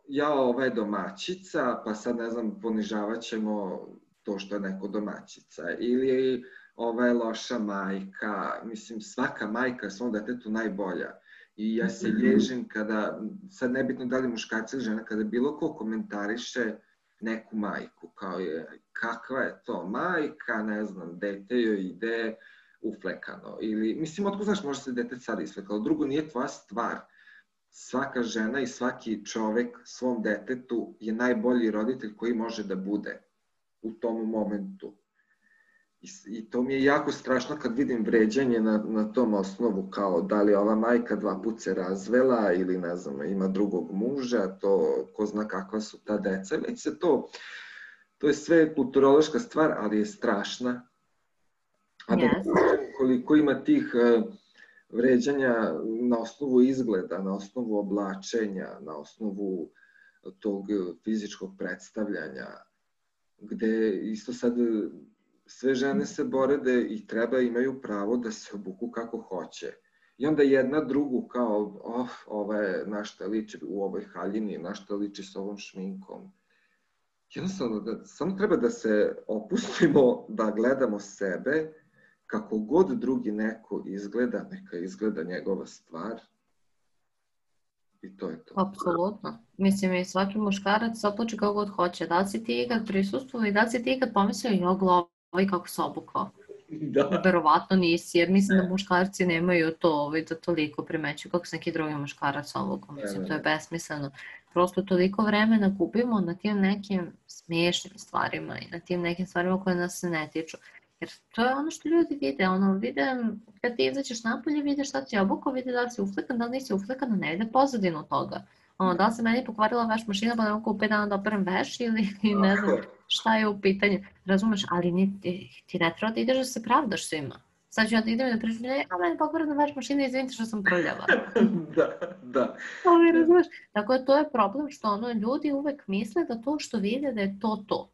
ja ova je domaćica, pa sad ne znam, ponižavat ćemo to što je neko domaćica. Ili ova je loša majka, mislim, svaka majka je svom detetu najbolja. I ja se ježim kada, sad nebitno da li muškarci ili žena, kada bilo ko komentariše neku majku, kao je, kakva je to majka, ne znam, dete joj ide uflekano. Ili, mislim, otko znaš, može se dete sad isflekalo. Drugo, nije tvoja stvar. Svaka žena i svaki čovek svom detetu je najbolji roditelj koji može da bude u tom momentu. I, i to mi je jako strašno kad vidim vređanje na, na tom osnovu, kao da li ova majka dva put se razvela ili ne znam, ima drugog muža, to ko zna kakva su ta deca. Već se to, to je sve kulturološka stvar, ali je strašna. A da Yes. koliko ima tih uh, vređanja na osnovu izgleda, na osnovu oblačenja, na osnovu tog fizičkog predstavljanja, gde isto sad sve žene se bore da i treba imaju pravo da se obuku kako hoće. I onda jedna drugu kao, oh, ova je našta liči u ovoj haljini, našta liči s ovom šminkom. Jednostavno, da, samo treba da se opustimo, da gledamo sebe, kako god drugi neko izgleda, neka izgleda njegova stvar. I to je to. Apsolutno. Mislim, i svaki muškarac se oblači kako god hoće. Da li si ti ikad prisustvovao i da li si ti ikad pomislio, jo, glavi kako se obukao? Da. Verovatno nisi, jer mislim da muškarci nemaju to, ovaj, da toliko primećuju kako se neki drugi muškarac obukao. Mislim, to je besmisleno. Prosto toliko vremena gubimo na tim nekim smiješnim stvarima i na tim nekim stvarima koje nas se ne tiču. Jer to je ono što ljudi vide, ono, vide, kad ti izađeš napolje, vidiš šta ti je obukao, vidi da li si uflekan, da li nisi uflekan, a ne ide pozadinu toga. Ono, da li se meni pokvarila veš mašina, pa ne mogu u pet dana da operem veš ili ne znam šta je u pitanju. Razumeš, ali ni, ti, ti ne treba da ideš da se pravdaš svima. Sad ću ja da idem i da pričam, ne, a meni pokvarila veš mašina, izvinite što sam prljava. Da, da. Ali, razumeš, tako da to je problem što ono, ljudi uvek misle da to što vide da je to to,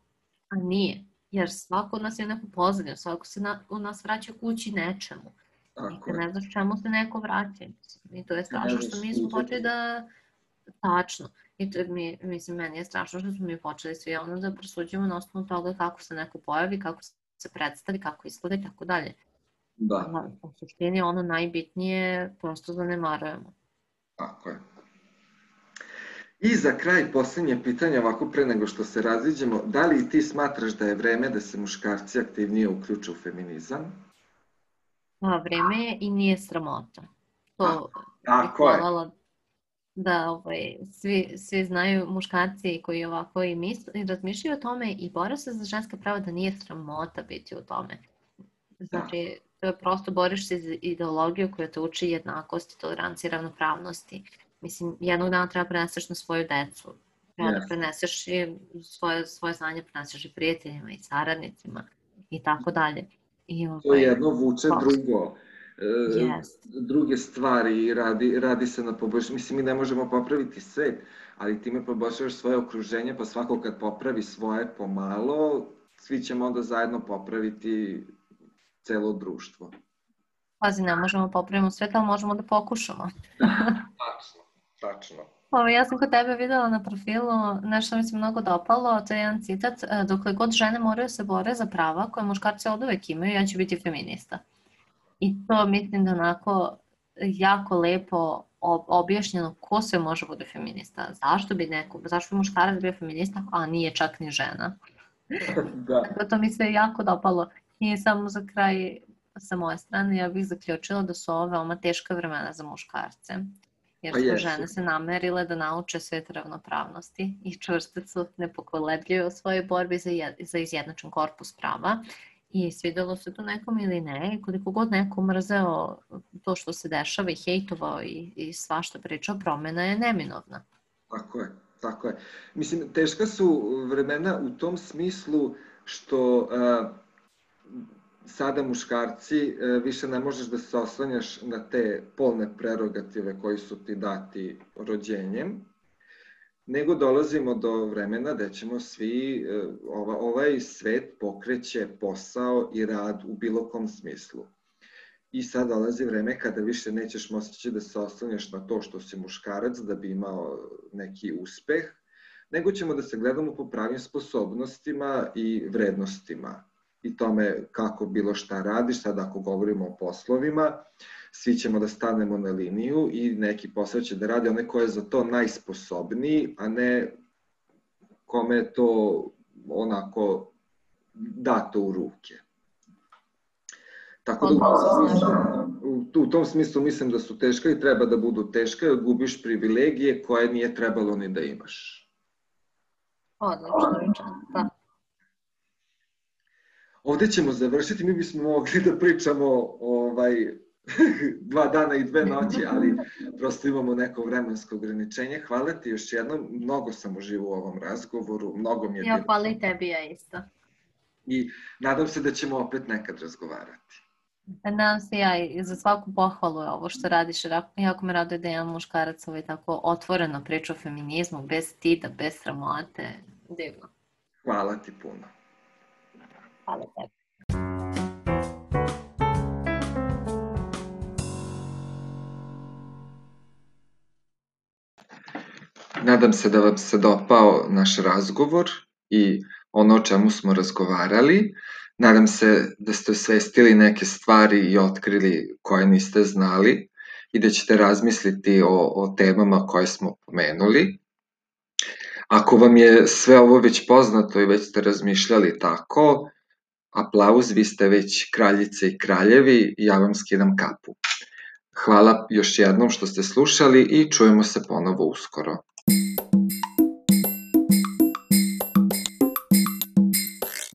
a nije. Jer svako od nas je neku pozadinu, svako se na, u nas vraća kući nečemu. Nikad ne znaš čemu se neko vraća. I to je strašno što mi smo počeli da... Tačno. I to mi, mislim, meni je strašno što smo mi počeli svi ono da presuđujemo na osnovu toga kako se neko pojavi, kako se predstavi, kako izgleda i tako dalje. Da. U suštini ono najbitnije prosto zanemarujemo. Tako je. I za kraj posljednje pitanje, ovako pre nego što se raziđemo, da li ti smatraš da je vreme da se muškarci aktivnije uključe u feminizam? A, vreme je i nije sramota. To tako bih voljela da ovaj, svi, svi znaju muškarci koji ovako i, misl, i razmišljaju o tome i bore se za ženska prava, da nije sramota biti u tome. Znači, to je prosto boriš se za ideologiju koja te uči jednakosti, toleranciji, ravnopravnosti. Mislim, jednog dana treba preneseš na svoju decu. Treba yes. da preneseš i svoje, svoje znanje, preneseš i prijateljima i saradnicima i tako dalje. I, ovaj, to jedno vuče prosto. drugo. Yes. Druge stvari radi, radi se na poboljšanju. Mislim, mi ne možemo popraviti svet, ali time poboljšavaš svoje okruženje, pa svako kad popravi svoje pomalo, svi ćemo onda zajedno popraviti celo društvo. Pazi, ne možemo popraviti svet, ali možemo da pokušamo. Tačno, tačno. Ovo, ja sam kod tebe videla na profilu nešto mi se mnogo dopalo, to je jedan citat, dokle god žene moraju se bore za prava koje muškarci od uvek imaju, ja ću biti feminista. I to mislim da onako jako lepo objašnjeno ko se može bude feminista. Zašto bi neko, zašto bi muškarac bio feminista, a nije čak ni žena. Da. Tako to mi se jako dopalo. I samo za kraj sa moje strane ja bih zaključila da su ovo veoma teška vremena za muškarce. Jer su žene se namerile da nauče svet ravnopravnosti i čvrste su, nepokolebljive u svojoj borbi za, jed, za izjednačen korpus prava. I svidelo se to nekom ili ne, koliko god neko mrzeo to što se dešava i hejtovao i, i svašta pričao, promjena je neminovna. Tako je, tako je. Mislim, teška su vremena u tom smislu što uh, sada muškarci uh, više ne možeš da se oslanjaš na te polne prerogative koji su ti dati rođenjem, nego dolazimo do vremena da ćemo svi, ova, ovaj svet pokreće posao i rad u bilo kom smislu. I sad dolazi vreme kada više nećeš moći da se oslanjaš na to što si muškarac da bi imao neki uspeh, nego ćemo da se gledamo po pravim sposobnostima i vrednostima i tome kako bilo šta radiš. Sad ako govorimo o poslovima, svi ćemo da stanemo na liniju i neki posao će da radi onaj ko je za to najsposobniji, a ne kome je to onako dato u ruke. Tako da u tom, smislu, u tom smislu mislim da su teška i treba da budu teška, jer gubiš privilegije koje nije trebalo ni da imaš. Odlično rečeno, da. Ovde ćemo završiti, mi bismo mogli da pričamo ovaj, dva dana i dve noći, ali prosto imamo neko vremensko ograničenje. Hvala ti još jednom, mnogo sam uživao u ovom razgovoru, mnogo mi je... Ja, hvala i tebi, ja isto. I nadam se da ćemo opet nekad razgovarati. Nadam se ja i za svaku pohvalu je ovo što radiš, jer jako me raduje da jedan muškarac ovaj tako otvoreno priča o feminizmu, bez stida, bez sramote, divno. Hvala ti puno. Hvala tebi. Nadam se da vam se dopao naš razgovor i ono o čemu smo razgovarali. Nadam se da ste osvestili neke stvari i otkrili koje niste znali i da ćete razmisliti o, o temama koje smo pomenuli. Ako vam je sve ovo već poznato i već ste razmišljali tako, aplauz, vi ste već kraljice i kraljevi i ja vam skidam kapu. Hvala još jednom što ste slušali i čujemo se ponovo uskoro.